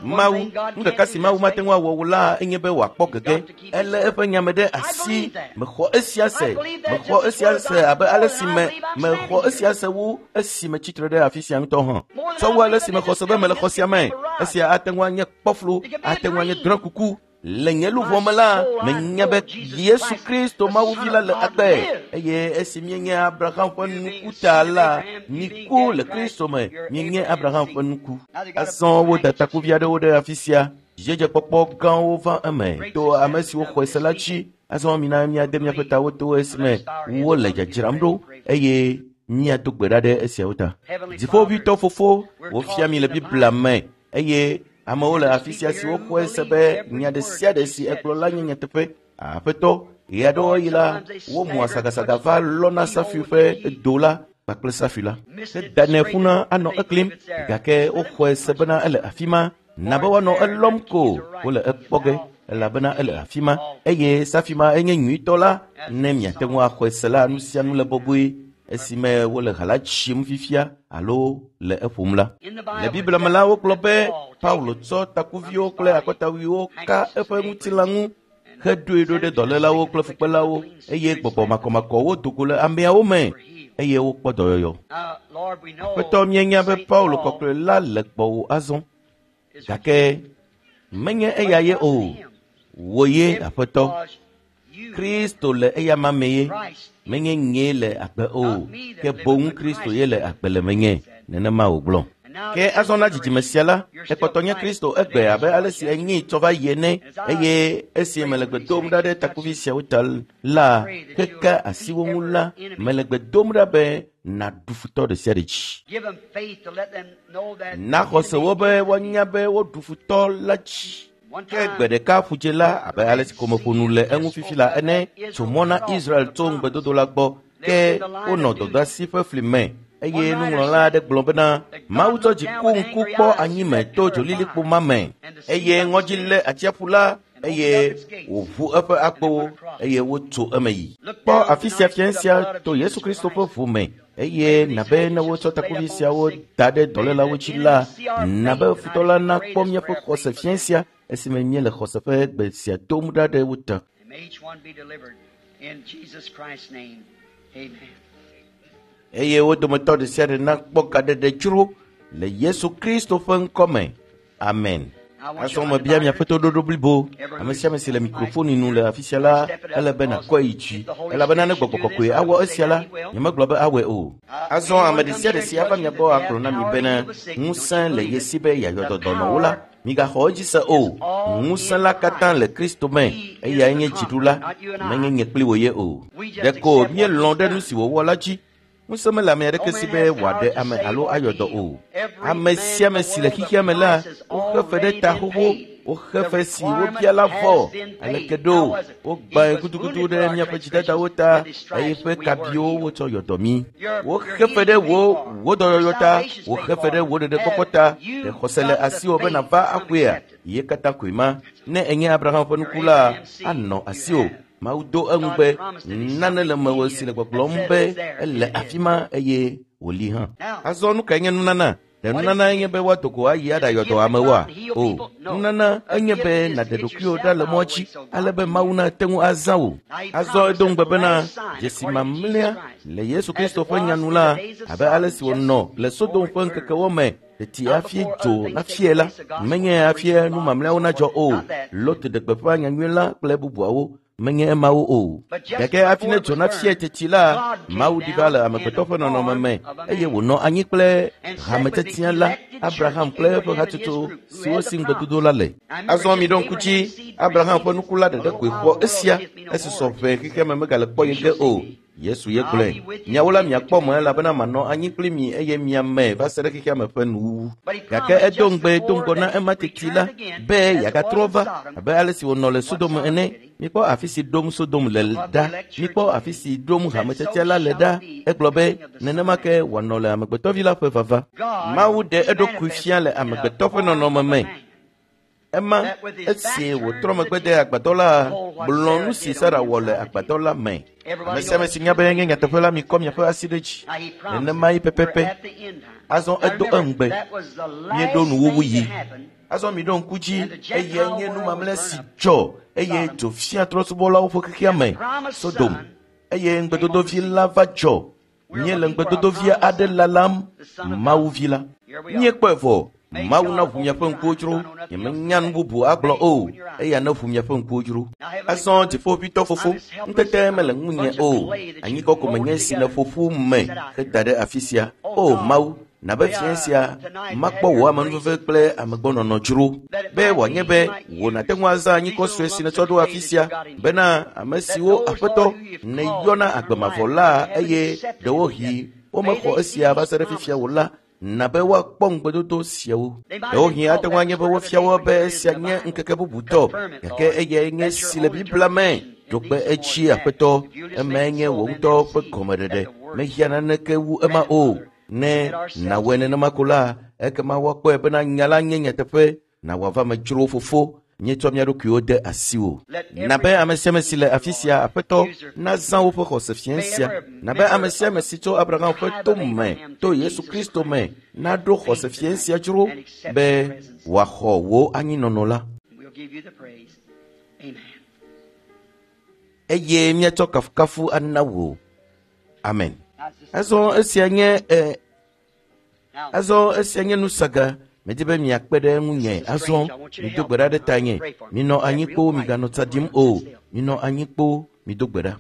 Mawu, nu ɖeka si Mawu mate ŋu awɔ o la enye be wòakpɔ gege. Elé eƒe nya me ɖe asi. Mexɔ esia se. Mexɔ esia se abe ale si me mexɔ esia se wu esi metsitre ɖe afi sia ŋutɔ hã. Tsɔ wu ale si mexɔ se be mele xɔ sia me. Esia ate ŋu anye kpɔflu, ate ŋu anye drɔ̃ekuku. Le nye luʋɔ me la, menya be Yesu Kristo Mawuvi la le agbe eye esi míenye Abraham ƒe nuku ta la, miku le Kristo me, míenye Abraham ƒe nuku. Azɔ woda takuvi aɖewo ɖe afi sia. Dzidzedzekpɔkpɔ gãwo va eme to ame siwo xɔe se la dzi. Azɔ mina míade míaƒe tawo to esime wole dzadzram ɖo eye míado gbe ɖa ɖe esiawo ta. Dziƒoʋĩtɔ Fofo, wofia mi le Biblia me eye amewo le afi sia siwo xɔe se be nya ɖe sia ɖe si egblɔ la nye nyateƒe. Aƒetɔ, ɣeaɖewoɣi la, womua sagasaga va lɔna safui ƒe do la kpakple safui la. Hedanɛ ƒuna anɔ eklim gake woxɔe se bena ele afi ma. Na be woanɔ elɔm ko wole ekpɔ ge elabena ele afi ma eye safi ma enye nyuitɔ la. Ne miate ŋu axɔe se la, nu sia nu le bɔbɔe esime wole ha la tsim fifia alo le eƒom la. Le Biblia me la, wogblɔ be Paulo tsɔ takuviwo kple akɔtawuiwo ka eƒe ŋutilã ŋu hedoe ɖo ɖe dɔlélawo kple fukpelawo eye gbɔgbɔ makɔmakɔwo do go le ameawo me eye wokpɔ dɔyɔyɔ. Aƒetɔ, míenya be Paulo kɔkɔe la le gbɔwò azɔ gake menye eya ye o. Wò ye, Aƒetɔ. Kristo le eyama me ye. Menye nyee le agbe o, ke boŋ Kristo ye le agbe le menye. Nenema wògblɔ. Ke azɔ na dzidzime sia la, ekpɔtɔ nye Kristo egbe abe ale si enyee tsɔ va yi ene eye esi mele gbe dom ɖa ɖe takuvi siawo ta la, keke asi wo ŋu la, mele gbe dom ɖa be nàɖu futɔ ɖe sia ɖe dzi. Na xɔse wo be woanya be woɖu futɔ la dzi. Ke gbe ɖeka ƒudze la abe ale si ko meƒo nu le eŋu fifi la ene tso mɔ na Israel tso ŋugbedodo la gbɔ. Ke wonɔ dɔdeasi ƒe fli me eye nuŋlɔla aɖe gblɔ bena Mawu tsɔ dziku ŋku kpɔ anyime to dzolilikpo ma me eye ŋɔdzi lé atsiaƒu la eye wòʋu eƒe akpowo eye wotso eme yi. Kpɔ afi sia fia sia to Yesu Kristo ƒe ʋu me eye nabe ne wotsɔ takuvi siawo da ɖe dɔlélawo dzi la, nabe futɔ la nakpɔ míaƒe xɔse fia sia esime míele xɔse ƒe gbe sia dom ɖa ɖe wo ta. Eye wo dometɔ ɖe sia ɖe nakpɔ gaɖeɖe dzro le Yesu Kristo ƒe ŋkɔ me. Amen. Azɔ mebia miaƒe toɖoɖo blibo. Ame sia ame si le mikrofoni nu le afi sia la, ele be nàkɔe yi dzi elabena ne gbɔgbɔ kɔkɔe awɔ esia la, nyemegblɔ be awɔe o. Azɔ ame ɖe sia ɖe si ava mia gbɔ agblɔ na mi bena ŋusẽ le ye si be yeayɔ dɔ dɔnɔwo la, migaxɔ edzi se o. Ŋusẽ la katã le Kristo me, eyae nye dziɖula, menye nye kpli wò ye o. Ɖeko míelɔ̃ ɖe nu si wòwɔ la dzi. Ŋusẽ mele ame aɖeke si be wòaɖe ame alo ayɔ dɔ o. Ame sia ame si le xexea me la, woxe fe ɖe ta xoxo, woxe fe si wobia la vɔ. Aleke ɖo wogbãe gudugudu ɖe míaƒe dzidadawo ta eye ƒe kabiwo wotsɔ yɔ dɔ mí. Woxe fe ɖe wò dɔyɔyɔ ta, woxe fe ɖe wò ɖeɖekpɔkpɔ ta. Ɖe xɔse le asiwò be nàva axɔea? Ye katã koe ma. Ne enye Abraham ƒe nuku la, anɔ asiwò. Mawu do eŋu be nane le mewò si le gbɔgblɔm be ele afi ma eye wòli hã. Azɔ nu kae nye nunana? Ɖe nunana enye be woado go ayi aɖayɔ dɔ amewoa? O, nunana enye be nàɖe ɖokuiwò ɖa le mɔa dzi ale be Mawu nate ŋu azã wò. Azɔ edo ŋugbe bena dzesi mamlɛa le Yesu Kristo ƒe nya nu la, abe ale si wònɔ le Sodom ƒe ŋkekewo me teti hafi dzo nafie la, menye hafi nu mamlɛawo nadzɔ o. Lot ɖe gbeƒã nyanyui la kple bubuawo, menye emawo o. Gake hafi ne dzo nafie teti la, Mawu ɖi va le amegbetɔ ƒe nɔnɔme me eye wònɔ anyi kple hametetia la, Abraham kple eƒe hatsotso siwo si ŋugbedodo la le. Azɔ miɖo ŋku dzi, Abraham ƒe nuku la ɖeɖe koe xɔ esia esi sɔ ʋɛ xexea me megale kpɔ ye ge o. Yesu ye gblɔe. Miawo la miakpɔ mɔ elabena manɔ anyi kpli mi eye miame va se ɖe xexea me ƒe nuwuwu. Gake edo ŋugbe do ŋgɔ na ema teti la be yeagatrɔ va abe ale si wònɔ le Sodom ene. Mikpɔ afi si ɖom Sodom le ɖa. Mikpɔ afi si ɖom hametetia la le ɖa. Egblɔ be nenema ke wòanɔ le amegbetɔvi la ƒe vava. Mawu ɖe eɖokui fia le amegbetɔ ƒe nɔnɔme me. Ema esi wòtrɔ megbe de agbadɔ la, gblɔ nu si Sara wɔ le agbadɔ la me. Ame sia ame si nya be nye nyateƒe la, mikɔ miaƒe asi ɖe dzi. Nenema ye pɛpɛpɛ. Azɔ edo eŋugbe. Míeɖo nuwuwu yi. Azɔ miɖo ŋku dzi eye nye nu mamlɛ si dzɔ eye dzo fia trɔ̃subɔlawo ƒe xexea me, Sodom. Eye ŋugbedodovi la va dzɔ. Míele ŋugbedodovia aɖe lalam, Mawu vi la. Míekpɔe vɔ. Mawu na ʋu miaƒe ŋkuwo dzro. Nyemenya nu bubu agblɔ o. Eya ne ʋu miaƒe ŋkuwo dzro. Azɔ dziƒoʋĩtɔ fofo, ŋutete mele ŋunye o. Anyigba ko menye si nèƒo ƒu me heda ɖe afi sia. O Mawu, na be fiẽ sia makpɔ wò amenuveve kple amegbɔnɔnɔ dzro. Be wòanye be wò nàte ŋu azã anyikɔ sue si nètsɔ ɖo afi sia bena ame siwo Aƒetɔ nèyɔna agbe mavɔ la eye ɖewohĩ womexɔ esia va se ɖe fifia o la, na be woakpɔ ŋugbedodo siawo. Ɖewohĩ ate ŋu anye be wofia wo be esia nye ŋkeke bubutɔ, gake eyae nye si le Biblia me. Ɖo kpe edzi Aƒetɔ, emae nye wò ŋutɔ ƒe gɔmeɖeɖe. Mehiã naneke wu ema o. Ne nàwɔe nenema ko la, ekema woakpɔe bena nya la nye nyateƒe na wòava me dzro fofo. Míetsɔ mía ɖokuiwo de asiwò. Na be ame sia ame si le afi sia, Aƒetɔ, nazã woƒe xɔse fiẽ sia. Na be ame sia ame si tso Abraham ƒe to me to Yesu Kristo me naɖo xɔse fiẽ sia dzro be wòaxɔ wò anyinɔnɔ la. Eye míatsɔ kafukafu ana wò. Amen. Azɔ esia nye Azɔ esia nye nusaga. Medi be miakpe ɖe ŋunye. Azɔ mido gbe ɖa ɖe tanye. Minɔ anyi kpoo, miganɔ tsa ɖim o. Minɔ anyi kpoo, mido gbe ɖa.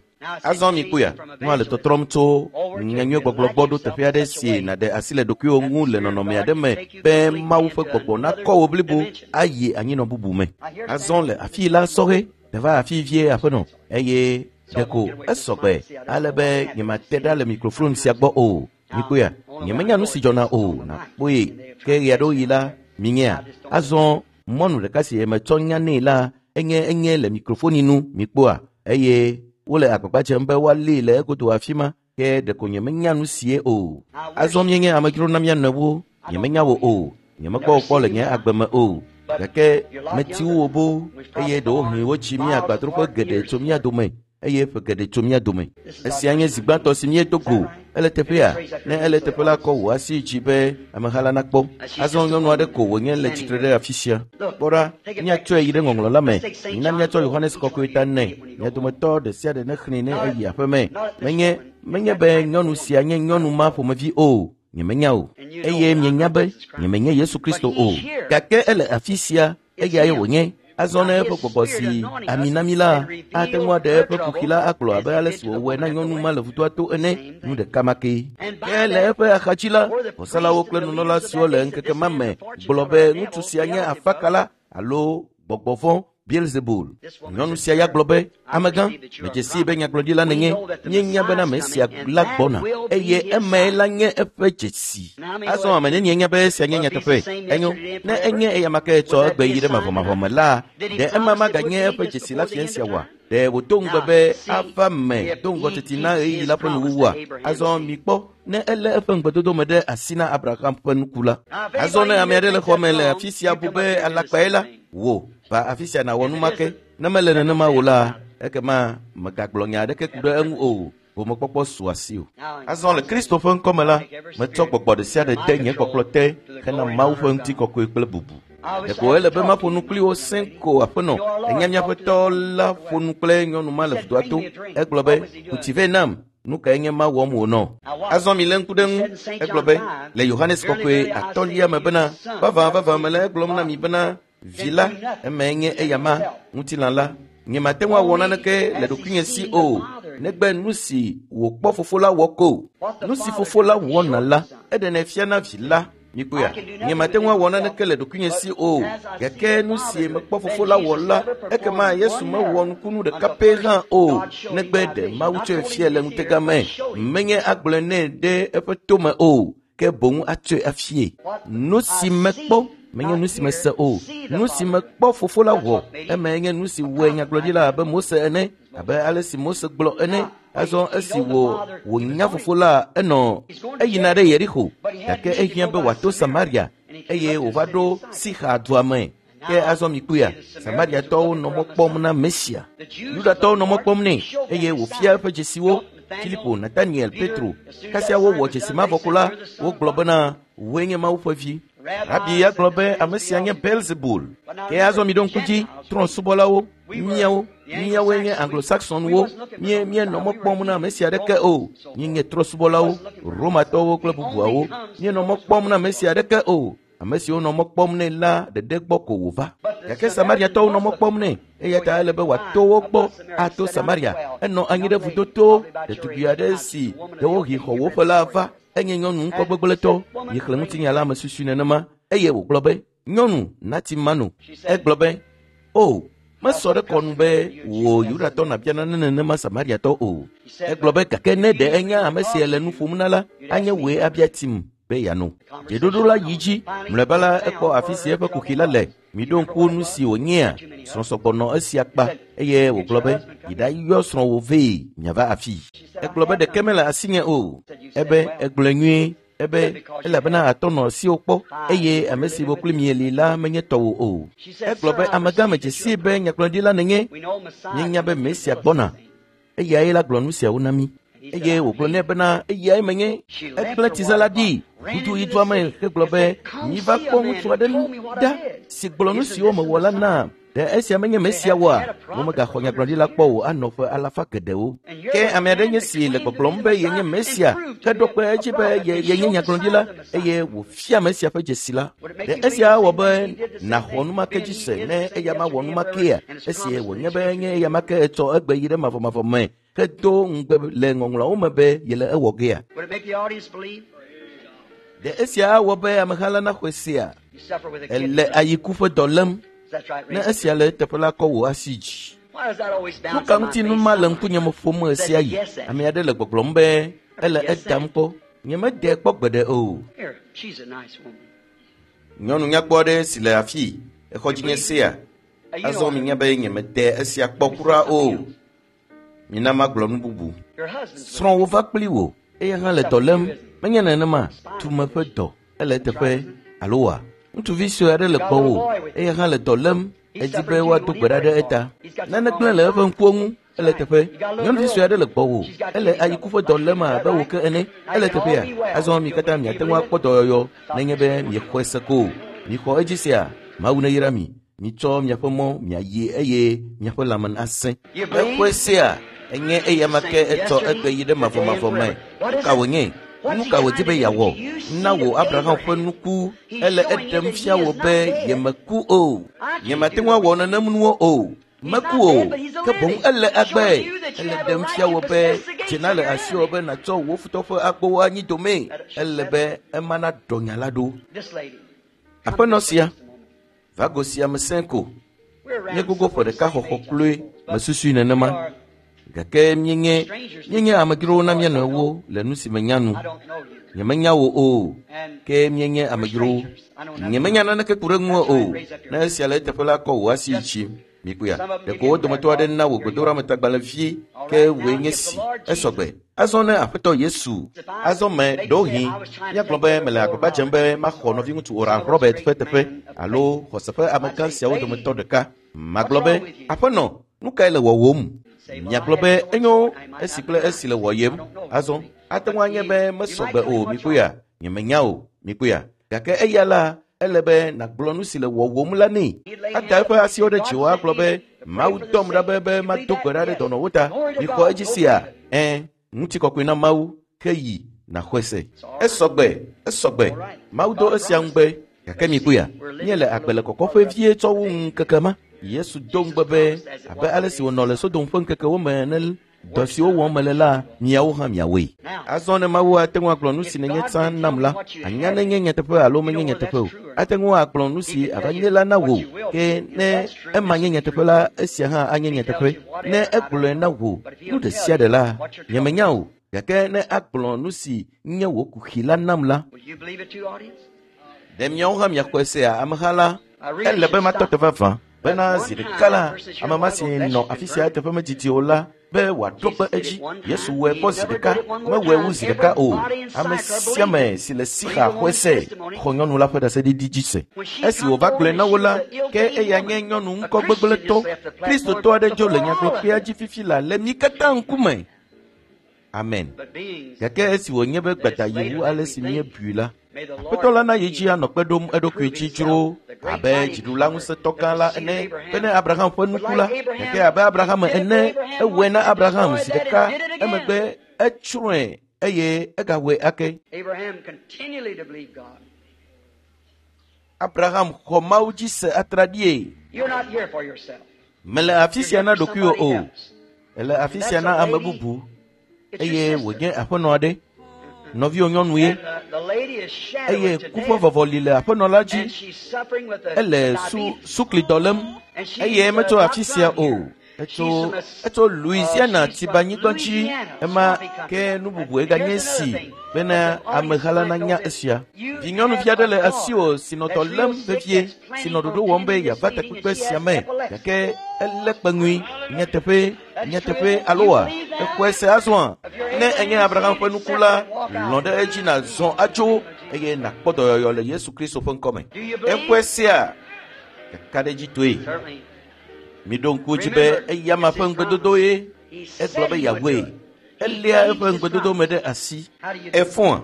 Azɔ mikpɔea, nua le tɔtrɔm tso nyanyuigbɔgblɔ gbɔ ɖo teƒe aɖe si nàɖe asi le ɖokuiwò ŋu le nɔnɔme aɖe me be Mawu ƒe gbɔgbɔ nakɔ wò blibo ayi anyinɔ bubu me. Azɔ le afii la, sɔhɛ, neva afii vie aƒenɔ eye ɖeko esɔgbe ale be nyemate ɖa le mikrofon sia gbɔ o. Mikpɔea, nyemenya nu si dzɔna o, nàkpɔe. Ke ɣe aɖewo yi la, minyea. Azɔ mɔnu ɖeka si metsɔ nya nɛ la enye enye le mikrofoni nu, mikpɔa, eye wole agbagba dzem be woalée le egodo afi ma, ke ɖeko nyemenya nu sie o. Azɔ míenye amedzro na mía nɔewo, nyemenya wò o, nyemekpɔ wò kpɔ le nye agbe me o, gake meti wò boo eye ɖewohĩ wotsi mía agbadroƒe geɖe tso mía dome eye ƒe geɖe tso mía dome. Esia nye zi gbãtɔ si míedo go. Ele teƒea? Ne ele teƒe la, kɔ wò asi dzi be ameha la nakpɔ. Azɔ nyɔnu aɖe ko wònye le tsitre ɖe afi sia. Kpɔ ɖa, míatsɔe yi ɖe ŋɔŋlɔ la me. Mina míatsɔ Yohanes Kɔkɔe ta nɛ. Mia dometɔ ɖe sia ɖe nexlẽe ne eyi aƒe me. Menye, menye be nyɔnu sia nye nyɔnu ma ƒomevi o. Nyemenya o. Eye mienya be nyemenye Yesu Kristo o. Gake ele afi sia, eyae wònye. Azɔ ne eƒe gbɔgbɔ si ami na mí la, ate ŋu aɖe eƒe kuxi la agblɔ abe ale si wòwɔe na nyɔnu ma le vudoa to ene, nu ɖeka ma ke. Ke le eƒe axadzi la, vɔsalawo kple nunɔla siwo le ŋkeke ma me gblɔ be ŋutsu sia nye afakala alo gbɔgbɔ vɔ̃ Beelzebul. Nyɔnu sia ya gblɔ be, amegã, medze sii be nyagblɔɖila nènye. Míenya bena ame sia la gbɔna eye emae la nye eƒe dzesi. Azɔ ame nenie nya be esia nye nyateƒe? Enyo, ne enye eyama ke tsɔ egbe yi ɖe mavɔmavɔ me la, ɖe ema maganye eƒe dzesi la fiẽ sia oa? Ɖe wòdo ŋugbe be ava me do ŋgɔ teti na ɣeyiɣi la ƒe nuwuwua? Azɔ mikpɔ, ne elé eƒe ŋugbedodo me ɖe asi na Abraham ƒe nuku la. Azɔ ne ame aɖe le xɔ me le afi sia bu be alakpae la, wò va afi sia nàwɔ nu ma ke. Ne mele nenema o la, ekema mègagblɔ nya aɖeke ku ɖe eŋu o. Gomekpɔkpɔ su asi o. Azɔ le Kristo ƒe ŋkɔme la, metsɔ gbɔgbɔ ɖe sia ɖe de nye kpɔkplɔ te hena Mawu ƒe ŋutikɔkɔe kple bubu. Ɖeko ele be maƒo nu kpli wo sẽ ko aƒenɔ. Enya míaƒe tɔ la ƒo nu kple nyɔnu ma le vudoa to. Egblɔ be, ku tsi vɛ nam. Nu kae nye ma wɔm wònɔ? Azɔ milé ŋku ɖe ŋu. Egblɔ be le Yohanes Kɔkɔe atɔ̃lia me bena, vavã vavã mele egblɔm na mi bena, vi la, emae nye eyama, ŋutilã la. Nyemate ŋu awɔ naneke le ɖokuinye si o, negbe nu si wòkpɔ fofo la wɔ ko. Nu si fofo la wɔna la, eɖenɛ fiana vi la. Mikpɔea, nyemate ŋu awɔ naneke le ɖokuinye si o, gake nu si mekpɔ fofo la wɔ la, ekema Yesu mewɔ nukunu ɖeka pɛ hã o, negbe ɖe Mawu tsɔe fiae le ŋutega me. Menye agblɔe nɛ ɖe eƒe tome o, ke boŋ atsɔe afie. Nu si mekpɔ menye nu si mese o. Nu si mekpɔ fofo la wɔ, emae nye nu si wɔe nyagblɔɖila abe Mose ene, abe ale si Mose gblɔ ene. Azɔ esi wò wònya fofo la, enɔ eyina ɖe Yeriko, gake ehiã be wòato Samaria eye wòva ɖo Sixa dua me. Ke azɔ mikpɔea, Samariatɔwo nɔ mɔ kpɔm na Mesia. Yudatɔwo nɔ mɔ kpɔm nɛ eye wòfia eƒe dzesiwo. Filipo, Nataniel, Petro. Kasia wowɔ dzesi mavɔ ko la, wogblɔ bena wòe nye Mawu ƒe vi. Rabi ya gblɔ be ame sia nye Belzebul. Ke azɔ miɖo ŋku dzi, trɔ̃subɔlawo, míawo, míawoe nye Anglo-Saxonwo, mie míenɔ mɔ kpɔm na ame sia aɖeke o. Míenye trɔ̃subɔlawo, Romatɔwo kple bubuawo. Míenɔ mɔ kpɔm na ame sia aɖeke o. Ame siwo nɔ mɔ kpɔm nɛ la ɖeɖe gbɔ ko wòva. Gake Samariatɔwo nɔ mɔ kpɔm nɛ eya ta ele be wòato wo gbɔ ato Samaria. Enɔ anyi ɖe vudoto. Ɖetugbi aɖe si ɖewohĩ xɔ woƒe la va. Enye nyɔnu ŋkɔgbegblẽtɔ. Miexlẽ ŋutinya la me susui nenema eye wògblɔ be, nyɔnu nati mano. Egblɔ be, o, mesɔ ɖe kɔnu be wò Yudatɔ nàbia nane nenema Samariatɔ o. Egblɔ be gake ne ɖe enya ame si le nu ƒom na la, anye wòe abia tim be yeano. Dzeɖoɖo la yi dzi. Mlɔeba la, ekpɔ afi si eƒe kuxi la le. Miɖo ŋku nu si wònyea. Srɔ̃sɔgbɔ nɔ esia kpa eye wògblɔ be, yi ɖayɔ srɔ̃wò vee miava afii. Egblɔ be ɖeke mele asinye o. Ebe egblɔe nyuie. Ebe elabena atɔ nɔ asiwò kpɔ eye ame si wo kpli mieli la menye tɔwò o. Egblɔ be amegã medze sii be nyagblɔɖila nènye. Míenya be Mesia gbɔna. Eyae la gblɔ nu siawo na mí. Eye wògblɔ nɛ bena eyae menye. Egblẽ tsize la ɖi, ʋudu yi dua me hegblɔ be, miva kpɔ ŋutsu aɖe ɖa si gblɔ nu siwo mewɔ la nam. Ɖe esia menye Mesia oa? Womegaxɔ nyagblɔɖila kpɔ o anɔ ƒe alafa geɖewo. Ke ame aɖe nye si le gbɔgblɔm be yenye Mesia, heɖo kpe edzi be yenye nyagblɔɖila eye wòfia Mesia ƒe dzesi la. Ɖe esia awɔ be nàxɔ nu ma ke dzi se ne eya mawɔ nu ma kea? Esi wònye be nye eya ma ke etsɔ egbe yi ɖe mavɔmavɔ me hedo ŋugbe le ŋɔŋlɔawo me be yele ewɔ gea. Ɖe esia awɔ be ameha la naxɔe sea? Ele ayiku ƒe dɔ lém. Ne esia le eteƒe la, kɔ wò asi dzi. Nu ka ŋuti nu ma le ŋkunye me ƒom ɣe sia ɣi? Ame aɖe le gbɔgblɔm be ele edam kpɔ. Nyemedee kpɔ gbeɖe o. Nyɔnu nyakpɔ aɖe si le afii, exɔ dzinye sea. Azɔ minya be nyemede esia kpɔ kura o. Mina magblɔ nu bubu. Srɔ̃wò va kpli wò eya hã le dɔ lém. Menye nenema tume ƒe dɔ ele eteƒe alo wa? Ŋutsuvi sue aɖe le gbɔwò eya hã le dɔ lém. Edi be woado gbe ɖa ɖe eta. Nane gblẽ le eƒe ŋkuwo ŋu. Ele teƒe. Nyɔnuvi sue aɖe le gbɔwò. Ele ayiku ƒe dɔ lém abe wò ke ene. Ele teƒea. Azɔ mi katã miate ŋu akpɔ dɔyɔyɔ nenye be miexɔe se ko. Mixɔ edzi sia. Mawu neyra mi. Mitsɔ miaƒe mɔ miayi eye miaƒe lãme nasẽ. Exɔe sea, enye eya ma ke etsɔ egbe yi ɖe mavɔmavɔ me. Nu ka wònye? Nu ka wòdi be yeawɔ? Na wò Abraham ƒe nuku. Ele eɖem fia wò be yemeku o. Nyemate ŋu awɔ nenem nuwo o. Meku o, ke boŋ ele agbe. Ele ɖem fia wò be dzena le asiwò be nàtsɔ wò futɔ ƒe agbowo anyi domee. Ele be ema naɖɔ nya la ɖo. Aƒenɔ sia, va go sia me sẽ ko. Nye gogo ƒe ɖeka xɔxɔ kloe mesusui nenema. Gake míenye míenye amedzrowo na mía nɔewo le nu si menya nu. Nyemenya wò o, ke míenye amedzrowo. Nyemenya naneke ku ɖe ŋuwò o. Ne esia le eteƒe la, kɔ wò asi yi dzi. Mikpɔea, ɖeko wo dometɔ aɖe na wò gbedoɖametagbalẽvi ke wòe nye si. Esɔgbe. Azɔ ne Aƒetɔ Yesu, azɔ me ɖewohĩ míagblɔ be mele agbagba dzem be maxɔ nɔviŋutsu Oral Robert ƒe teƒe alo xɔse ƒe amegã siawo dometɔ ɖeka. Magblɔ be, Aƒenɔ, nu kae le wɔwòm? Miagblɔ be enyo esi kple esi le wɔyem. Azɔ, ate ŋu anye be mesɔgbe o, mikpɔea? Nyemenya o, mikpɔea? Gake eya la, ele be nàgblɔ nu si le wɔwòm la nɛ. Ada eƒe asiwo ɖe dziwò agblɔ be, Mawu dɔm ɖa be be mado gbe ɖa ɖe dɔnɔwo ta. Mixɔ edzi sia? Ẽ, ŋutikɔkɔe na Mawu, ke yi nàxɔe se. Esɔgbe, esɔgbe. Mawu do esia ŋugbe. Gake mikpɔea, míele agbe le kɔkɔƒe vie tsɔ wu ŋkeke ma. Yesu do ŋugbe be abe ale si wònɔ le Sodom ƒe ŋkekewo me ene, dɔ siwo wɔm mele la, miawo hã miawɔe. Azɔ ne Mawu ate ŋu agblɔ nu si nènye tsã nam la, anya nenye nyateƒe alo menye nyateƒe o. Ate ŋu agblɔ nu si ava nye la na wò. Ke ne ema nye nyateƒe la, esia hã anye nyateƒe. Ne egblɔe na wò nu ɖe sia ɖe la, nyemenya o. Gake ne agblɔ nu si nye wò kuxi la nam la, ɖe miawo hã miaxɔe sea ameha la? Ele be matɔ te vavã bena zi ɖeka la, ame ma si nɔ afi sia eteƒe medidi o la, be wòaɖo kpe edzi. Yesu wɔe kpɔ zi ɖeka, mewɔe wu zi ɖeka o. Ame sia ame si le Sixa xɔe se, xɔ nyɔnu la ƒe ɖaseɖiɖi dzi se. Esi wòva gblɔe na wo la, ke eya nye nyɔnu ŋkɔ gbegblẽtɔ. Kristotɔ aɖe dzo le nyagblɔkpea dzi fifi la le mí katã ŋkume. Amen. Gake esi wònye be gbada yi wu ale si míebui la, Aƒetɔ la na yi dzi anɔ kpe ɖom eɖokui dzi dzro abe dziɖula ŋusẽtɔ gã la ene bene Abraham ƒe nuku la, gake abe Abraham ene, ewɔe na Abraham zi ɖeka, emegbe etsrɔ̃e eye egawɔe ake. Abraham xɔ Mawu dzi se atraɖie. Mele afi sia na ɖokuiwò o, ele afi sia na ame bubu, eye wònye aƒenɔ aɖe. Nɔviwò nyɔnu ye, eye ku ƒe vɔvɔli le aƒenɔ la dzi. Ele suklidɔ lém, eye metso afi sia o. Etso Louisiana tibanyigba dzi. Ema ke nu bubue ganye si bena ameha la nanya esia. Vi nyɔnuvi aɖe le asiwò si nɔ dɔ lém vevie, si nɔ ɖoɖo wɔm be yeava takpekpe sia me, gake elé kpeŋui. Nyateƒe, nyateƒe aloa, exɔe se azɔa? Ne enye Abraham ƒe nuku la, lɔ̃ ɖe edzi nàzɔ atso eye nàkpɔ dɔyɔyɔ le Yesu Kristo ƒe ŋkɔme. Exɔe sea? Kakaɖedzitɔe. Miɖo ŋku edzi be eya ma ƒe ŋugbedodo ye egblɔ be yeawɔe. Eléa eƒe ŋugbedodo me ɖe asi. Efɔa?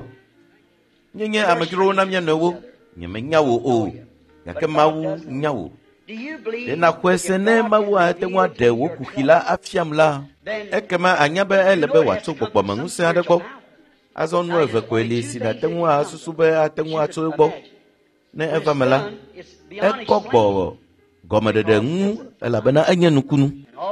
Míenye amedzrowo na mía nɔewo. Nyemenya wò o, gake Mawu nya wò. Ɖe nàxɔe se ne Mawu ate ŋu aɖe wò kuxi la afiam la, ekema anya be ele be wòatso gbɔgbɔmeŋusẽ aɖe gbɔ. Azɔ nu eve koe li si nàte ŋu asusu be ate ŋu atso egbɔ. Ne eva me la, ekɔ gbɔ gɔmeɖeɖe ŋu elabena enye nukunu.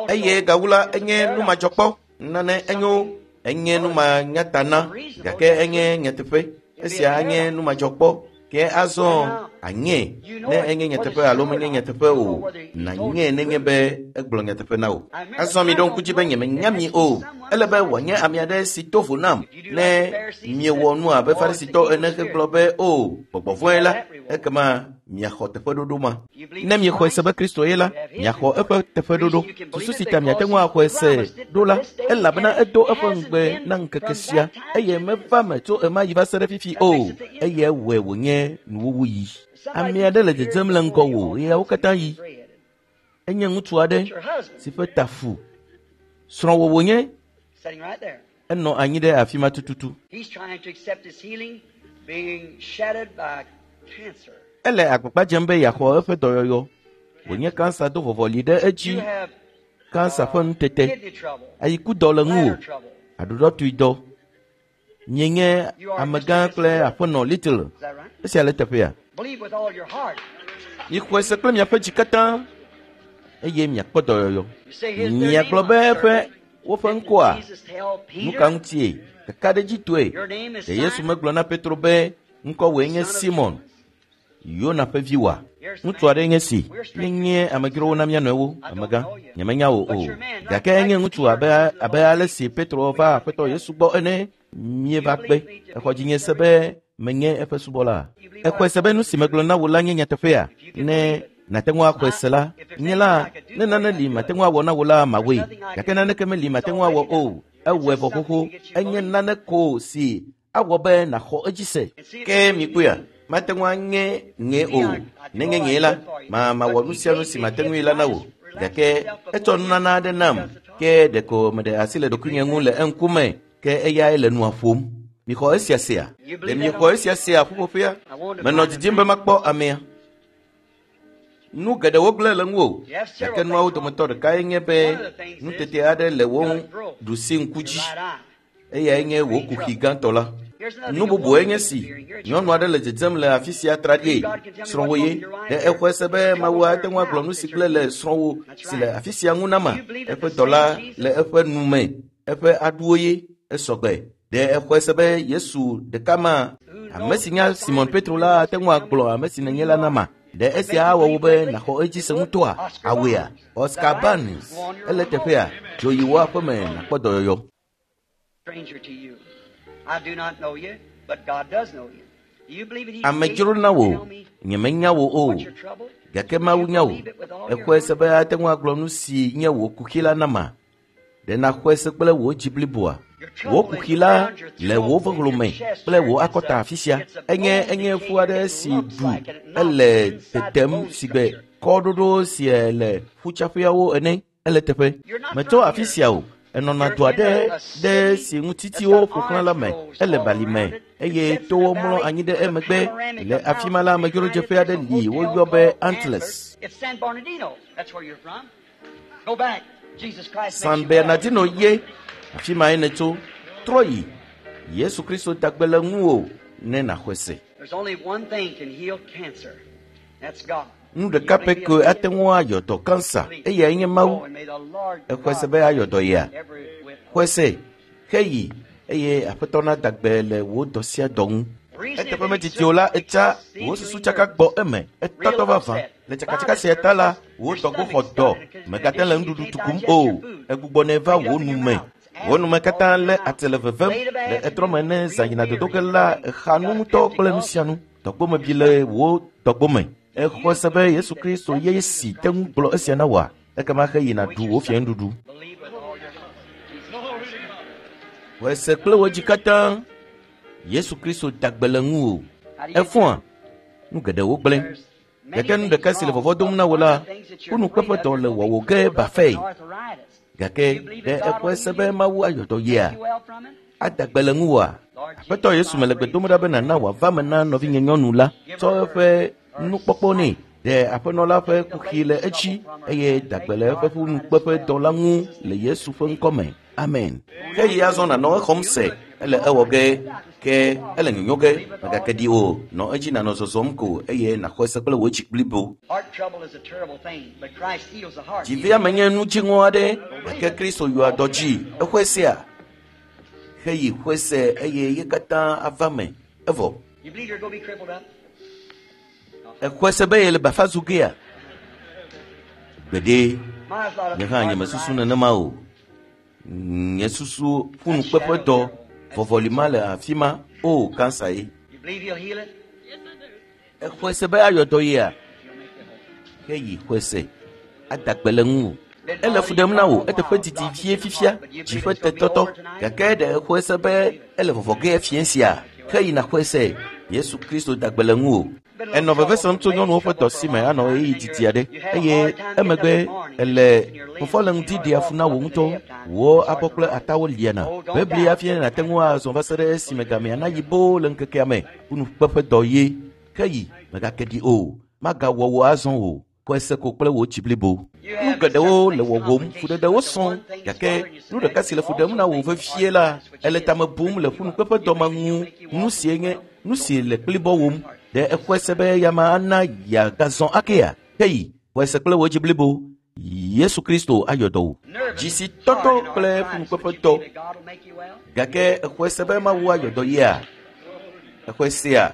Eye gawu la, enye numadzɔkpɔ. Nane enyo, enye numanyatana, gake enye nyateƒe. Esia anye numadzɔkpɔ. Ke azɔ anye ne enye nyateƒe alo menye nyateƒe o, nanye nenye be egblɔ nyateƒe na wò. Azɔ mi ɖo ŋku dzi be nyemenya mi o. Ele be wòanye ame aɖe si to vo nam. Ne miewɔ nu abe Farisitɔ ene hegblɔ be o, gbɔgbɔ vɔ̃e la, ekema miaxɔ teƒeɖoɖo ma. Ne miexɔe se be Kristo ye la, miaxɔ eƒe teƒeɖoɖo. Susu si ta miate ŋu axɔe se ɖo la, elabena edo eƒe ŋugbe na ŋkeke sia, eye meva me tso ema yi va se ɖe fifi o, eye ewɔe wònye nuwuwu yi. Ame aɖe le dzedzem le ŋgɔwò ɣeawo katã yi. Enye ŋutsu aɖe si ƒe ta fu. Srɔ̃wò wònye. Enɔ anyi ɖe afi ma tututu. Ele agbagba dzem be yeaxɔ eƒe dɔyɔyɔ. Wònye kansa do vɔvɔli ɖe edzi. Kansa ƒe nutete. Ayikudɔ le ŋuwò. Aɖuɖɔtui dɔ. Mienye amegã kple aƒenɔ Little. Esia le teƒea. Mixɔe se kple miaƒe dzi katã eye miakpɔ dɔyɔyɔ. Miagblɔ be eƒe woƒe ŋkɔa, nu ka ŋutie? Kakaɖedzitɔe. Ɖe Yesu megblɔ na Petro be ŋkɔwòe nye Simon, Yona ƒe vi oa? Ŋutsu aɖe nye si. Míenye amedzrowo na mía nɔewo, amegã. Nyemenya wò o. Gake enye ŋutsu abe ale si Petro va Aƒetɔ Yesu gbɔ ene. Míeva kpe. Exɔ dzinye se be menye eƒe subɔla. Exɔe se be nu si megblɔ na wò la nye nyateƒea? Ne nàte ŋu axɔe se la, nye la, ne nane li mate ŋu awɔ na wò la, mawɔe. Gake naneke meli mate ŋu awɔ o. Ewɔe vɔ xoxo. Enye nane ko si awɔ be nàxɔ edzi se. Ke mikpɔea, mate ŋu anye ŋe o. Ne nye ŋe la, mawɔ nu sia nu si mate ŋui la na wò. Gake etsɔ nunana aɖe nam. Ke ɖeko meɖe asi le ɖokuinye ŋu le eŋkume. Ke eyae le nua ƒom. Mixɔ esia sea? Ɖe miexɔ esia sea ƒuƒoƒea? Menɔ didim be makpɔ amea. Nu geɖewo gblẽ le ŋuwò, gake nuawo dometɔ ɖekae nye be nutete aɖe le wò ɖusi ŋku dzi. Eyae nye wò kuxi gãtɔ la. Nu bubue nye si, nyɔnu aɖe le dzedzem le afi sia traɖie. Srɔ̃wò ye. Ɖe exɔe se be Mawu ate ŋu agblɔ nu si gblẽ le srɔ̃wò si le afi sia ŋu nama? Eƒe dɔla le eƒe nu me, eƒe aɖuwo ye esɔgbe. Ɖe exɔe se be Yesu ɖeka ma, ame si nya Simon Petro la ate ŋu agblɔ ame si nènye la nama? Ɖe esia awɔ wò be nàxɔ edzi se ŋutɔa? Awɔea? Oscar Barnes, ele teƒea. Dzo yi wò aƒeme nàkpɔ dɔyɔyɔ. Amedzro na wò, nyemenya wò o, gake Mawu nya wò. Exɔe se be ate ŋu agblɔ nu si nye wò kuxi la nama? Ɖe nàxɔe se kple wò dzi bliboa? Wò kuxi la le wò vehlome kple wò akɔta afi sia. Enye enye ƒu aɖe si ɖu ele tetem sigbe kɔɖoɖo si le ƒutsaƒeawo ene. Ele teƒe. Metso afi sia o. Enɔna do aɖe ɖe si ŋutitiwo ƒo xlã la me. Ele bali me eye towo mlɔ anyi ɖe emegbe. Le afi ma la, amedzrodzeƒe aɖe li woyɔ be Antlers. San Bernardino ye afi mae nètso. Trɔ yi. Yesu Kristo da gbe le ŋuwò ne nàxɔe se. Nu ɖeka pɛ koe ate ŋu ayɔ dɔ kansa eyae nye Mawu. Exɔe se be ayɔ dɔ yea? Xɔe se, heyi eye Aƒetɔ nada gbe le wò dɔ sia dɔ ŋu. Eteƒe medidi o la, etsa wò susu tsaka gbɔ eme, etɔtɔ vavã. Le tsakatsaka sia ta la, wò dɔgbo xɔ dɔ, mègate le nuɖuɖu tukum o, egbugbɔnɛ va wò nu me. Wò nume katã lé ate le vevem le etrɔ me ne zã yina dodo ge la, exa nu ŋutɔ kple nu sia nu. Dɔgbome bi le wò dɔgbome. Exɔe se be Yesu Kristo ye si te ŋu gblɔ esia na wòa? Ekema heyina ɖu wò fiẽnuɖuɖu. Xɔe se kple wò dzi katã. Yesu Kristo da gbe le ŋuwò. Efɔa? Nu geɖewo gblẽ. Gake nu ɖeka si le vɔvɔ̃ dom na wò la, ƒunukpeƒedɔ le wɔwò ge bafae. Gake ɖe exɔe se be Mawu ayɔ dɔ yea? Ada gbe le ŋuwòa? Aƒetɔ Yesu mele gbe dom ɖa be nàna wòava me na nɔvinye nyɔnu la. Tsɔ eƒe nukpɔkpɔ nɛ. Ɖe aƒenɔ la ƒe kuxi le edzi eye da gbe le eƒe ƒunukpeƒedɔ la ŋu le Yesu ƒe ŋkɔ me. Amen. Ke yi azɔ nànɔ exɔm se. Ele ewɔ ge ke ele nyonyo ge. Mègake ɖi o. Nɔ edzi nànɔ zɔzɔm ko eye nàxɔe se kple wò dzi blibo. Dzivea menye nu dziŋɔ aɖe gake Kristo yɔa dɔ dzi. Exɔe sea? Heyi xɔe se eye ye katã ava me. Evɔ. Exɔe se be yele bafa zu gea? Gbeɖe. Nye hã nyemesusu nenema o. Nye susu ƒunukpeƒedɔ vɔvɔli ma le afi ma. O, kansa ye. Exɔe se be ayɔ dɔ yea? Heyi xɔe se. Ada gbe le ŋuwò. Ele fu ɖem na wò eteƒe didi vie fifia, dzi ƒe tetɔtɔ. Gake ɖe exɔe se be ele vɔvɔ ge fiẽ sia? Heyina xɔe se. Yesu Kristo da gbe le ŋuwò. Enɔ veve sem tso nyɔnuwo ƒe dɔ si me anɔ ɣeyiɣi didi aɖe eye emegbe ele fɔfɔ le ŋdi ɖea fu na wò ŋutɔ. Wò abɔ kple atawo liana. Bebli hafi nàte ŋu azɔ va se ɖe esime gamea nayi boo le ŋkekea me. Ƒunukpeƒe dɔ ye. Heyi, mègake ɖi o. Magawɔ wò azɔ o. Xɔe se ko kple wò dzi blibo. Nu geɖewo le wɔwòm, fuɖeɖewo sɔŋ, gake nu ɖeka si le fu ɖem na wò vevie la, ele tame bum le ƒunukpeƒedɔ ma ŋu. Nu sie nye nu si le kplibɔ wòm. Ɖe exɔe se be yama ana yeagazɔ akea? Heyi, xɔe se kple wò dzi blibo. Yesu Kristo ayɔ dɔ wò. Dzi si tɔtɔ kple ƒunukpeƒedɔ. Gake exɔe se be Mawu ayɔ dɔ yea? Exɔe sea?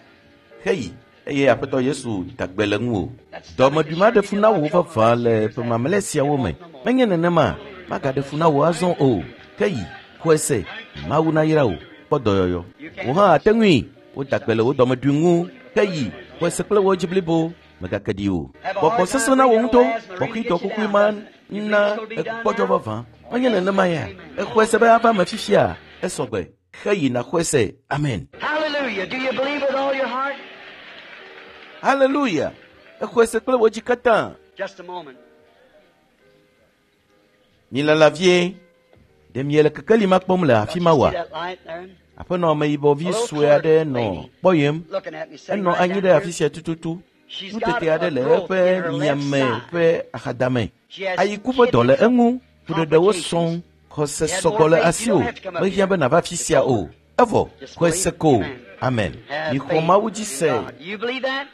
Heyi, eye Aƒetɔ Yesu da gbe le ŋuwò. Dɔmeɖui ma ɖe fu na wò vavã le ƒe mamlɛ siawo me. Menye nenema, magaɖe fu na wò azɔ o. Heyi, xɔe se, Mawu nayra wò. Kpɔ dɔyɔyɔ. Wò hã ate ŋui. Woda gbe le wò dɔmeɖui ŋu. Heyi, xɔe se kple wò dzi blibo. Mègake ɖi o. Gbɔgbɔ sesẽ na wò ŋutɔ. Kpɔxitɔ kukui ma na ekpɔdzɔ vavã. Menye nenema ya. Exɔe se be ava me fifia. Esɔgbe. Heyi nàxɔe se. Amen. Hallelujah. Do you believe with all your heart? Hallelujah. Exɔe se kple wò dzi katã. Just a moment. Milala vie. Ɖe miele kekeli ma kpɔm le afi ma Don't you oa? see that light there? Aƒenɔ ameyibɔvi sue aɖe nɔ kpɔyem. Looking at me, sitting Enɔ right anyi down ɖe here. afi sia tututu. She's got Nutete aɖe a le growth eƒe in her left miame side. ƒe axadame. She has Ayiku ƒe dɔ le kidney eŋu. Fuɖeɖewo sɔŋ. complications. Xɔse You had sɔgbɔ more le faith. You asiwò. don't have to come up Mehiã here. be nàva afi It's sia o. over. Evɔ, Just xɔe believe se it. ko. Amen. Amen. Have Mixɔ faith Mawu dzi in se. God. You believe that?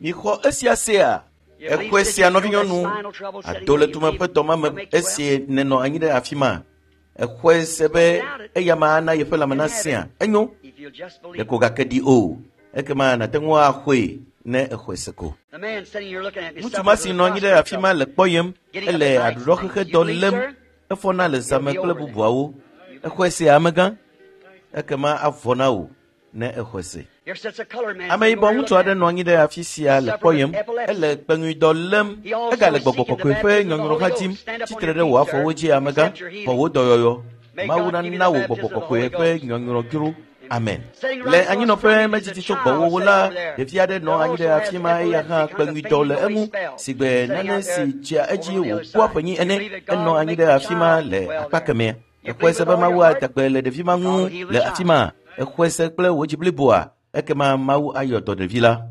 Mixɔ esia sea? You believe Exɔe that sia you know that nɔvinyɔnu. spinal trouble setting Ado le you tume believe ƒe dɔma me he'll make you well? esi nènɔ anyi ɖe afi ma. Exɔe se be eya ma ana yeƒe lãme nasẽa. Enyo. If you'll just believe. Ɖeko gake ɖi o. Ekema nàte ŋu axɔe ne exɔe se ko. The man sitting here looking at me Ŋutsu ma suffers si with nɔ anyi ɖe prostate afi ma trouble. le kpɔyem Getting up ele at night and aɖuɖɔxexe things. You dɔ believe, lém. sir? Efɔna le It'll zãme be kple over then. bubuawo. Exɔe sea amegã? Ekema avɔ na wò. ne exɔe se. Ameyibɔ ŋutsu aɖe nɔ anyi ɖe afi sia le kpɔyem. Ele kpeŋuidɔ lém. Egale gbɔgbɔ kɔkɔe ƒe nyɔnyrɔ hã dim. Tsitre ɖe wò afɔwo dzi amegã. Xɔ wò dɔyɔyɔ. Mawu nana wò gbɔgbɔ kɔkɔe ƒe nyɔnyrɔ dzro. Amen. Le anyinɔƒe medzidzi tso gbɔwòwo la, ɖevi aɖe nɔ anyi ɖe afi ma eya hã kpeŋuidɔ le eŋu si gbe nane si dzea edzi wòkua ƒenyi ene. Enɔ anyi ɖe afi ma le akpa kemɛa. Exɔe se be Mawu ada gbe le ɖevi ma ŋu le afi ma. Exɔe se kple wò dzi bliboa. Ekema Mawu ayɔ dɔ ɖevi la.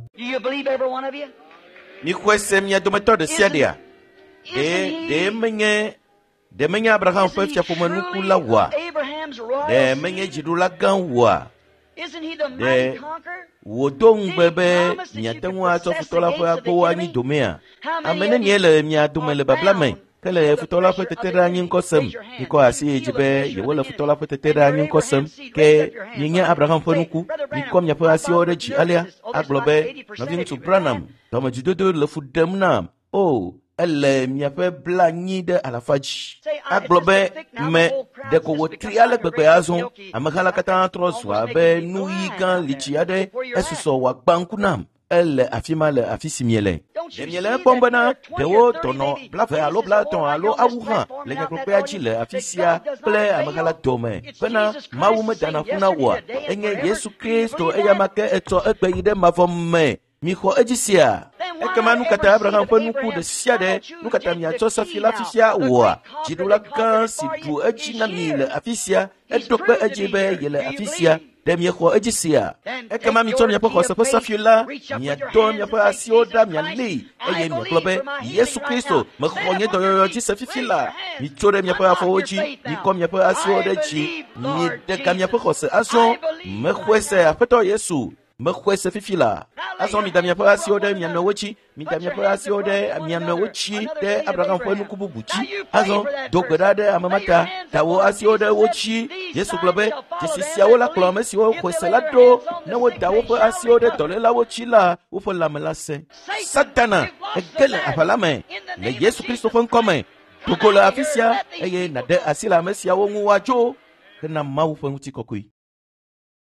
Mixɔe se mia dometɔ ɖe sia ɖea? Ɖe menye ɖe menye Abraham ƒe fiaƒomenuku la wɔa? Ɖe menye dziɖula gã wɔa? Ɖe wòdo ŋugbe be miate ŋu atsɔ futɔ la ƒe agbowo anyi domea? Ame nenie le mia dome le babla me ke le futɔ la ƒe teteɖeanyi ŋkɔ sem? Mikɔ asi yi dzi be yewole futɔ la ƒe teteɖeanyi ŋkɔ sem. Ke mienye Abraham ƒe nuku. Mikɔ miaƒe asiwo ɖe dzi alea agblɔ be, Nɔviŋutsu Branham, dɔmedzidodo le fu ɖem nam. O, ele miaƒe 90% dzi. Agblɔ be me ɖeko wòtri ale gbegbe azɔ. Ameha la katã trɔ zu abe nu ɣi gã litsi aɖe. Esusɔ wòagbã ŋku nam. Ele afi ma le afi si miele. Ɖe miele ekpɔm bena ɖewo dɔnɔ 20 alo 30 alo awu hã le nyagblɔkpea dzi le afi sia kple ameha la dome bena Mawu medana ƒu na woa? Enye Yesu Kristo eyama ke etsɔ egbe yi ɖe mavɔ me. Mixɔ edzi sia. Ekema nu katã Abraham ƒe nuku ɖe sia ɖe, nu katã miatsɔ safi la fifia wɔa? Dziɖula gã si ɖu edzi na mi le afi sia, eɖo kpe edzi be yele afi sia. Ɖe miexɔ edzi sia? Ekema mitsɔ miaƒe xɔse ƒe safi la, miadɔ miaƒe asiwo ɖa mialée eye miagblɔ be, Yesu Kristo, mexɔ nye dɔyɔyɔ dzi se fifi la. Mitso ɖe miaƒe afɔwo dzi, mikɔ miaƒe asiwo ɖe dzi, miɖe ga miaƒe xɔse azɔ. Mexɔe se, Aƒetɔ Yesu. Mexɔe se fifi la. Azɔ mida miaƒe asiwo ɖe mia nɔewo dzi. Mida miaƒe asiwo ɖe mia nɔewo dzi ɖe Abraham ƒe nuku bubu dzi. Azɔ do gbe ɖa ɖe ame ma ta. Da wò asiwo ɖe wo dzi. Yesu gblɔ be, dzesi siawo la kplɔ ame siwo xɔe se la ɖo. Ne woda woƒe asiwo ɖe dɔlélawo dzi la, woƒe lãme la sẽ. Satana, ege le aʋa la me le Yesu Kristo ƒe ŋkɔ me. Do go le afi sia eye nàɖe asi le ame siawo ŋu woadzo hena Mawu ƒe ŋutikɔkɔe.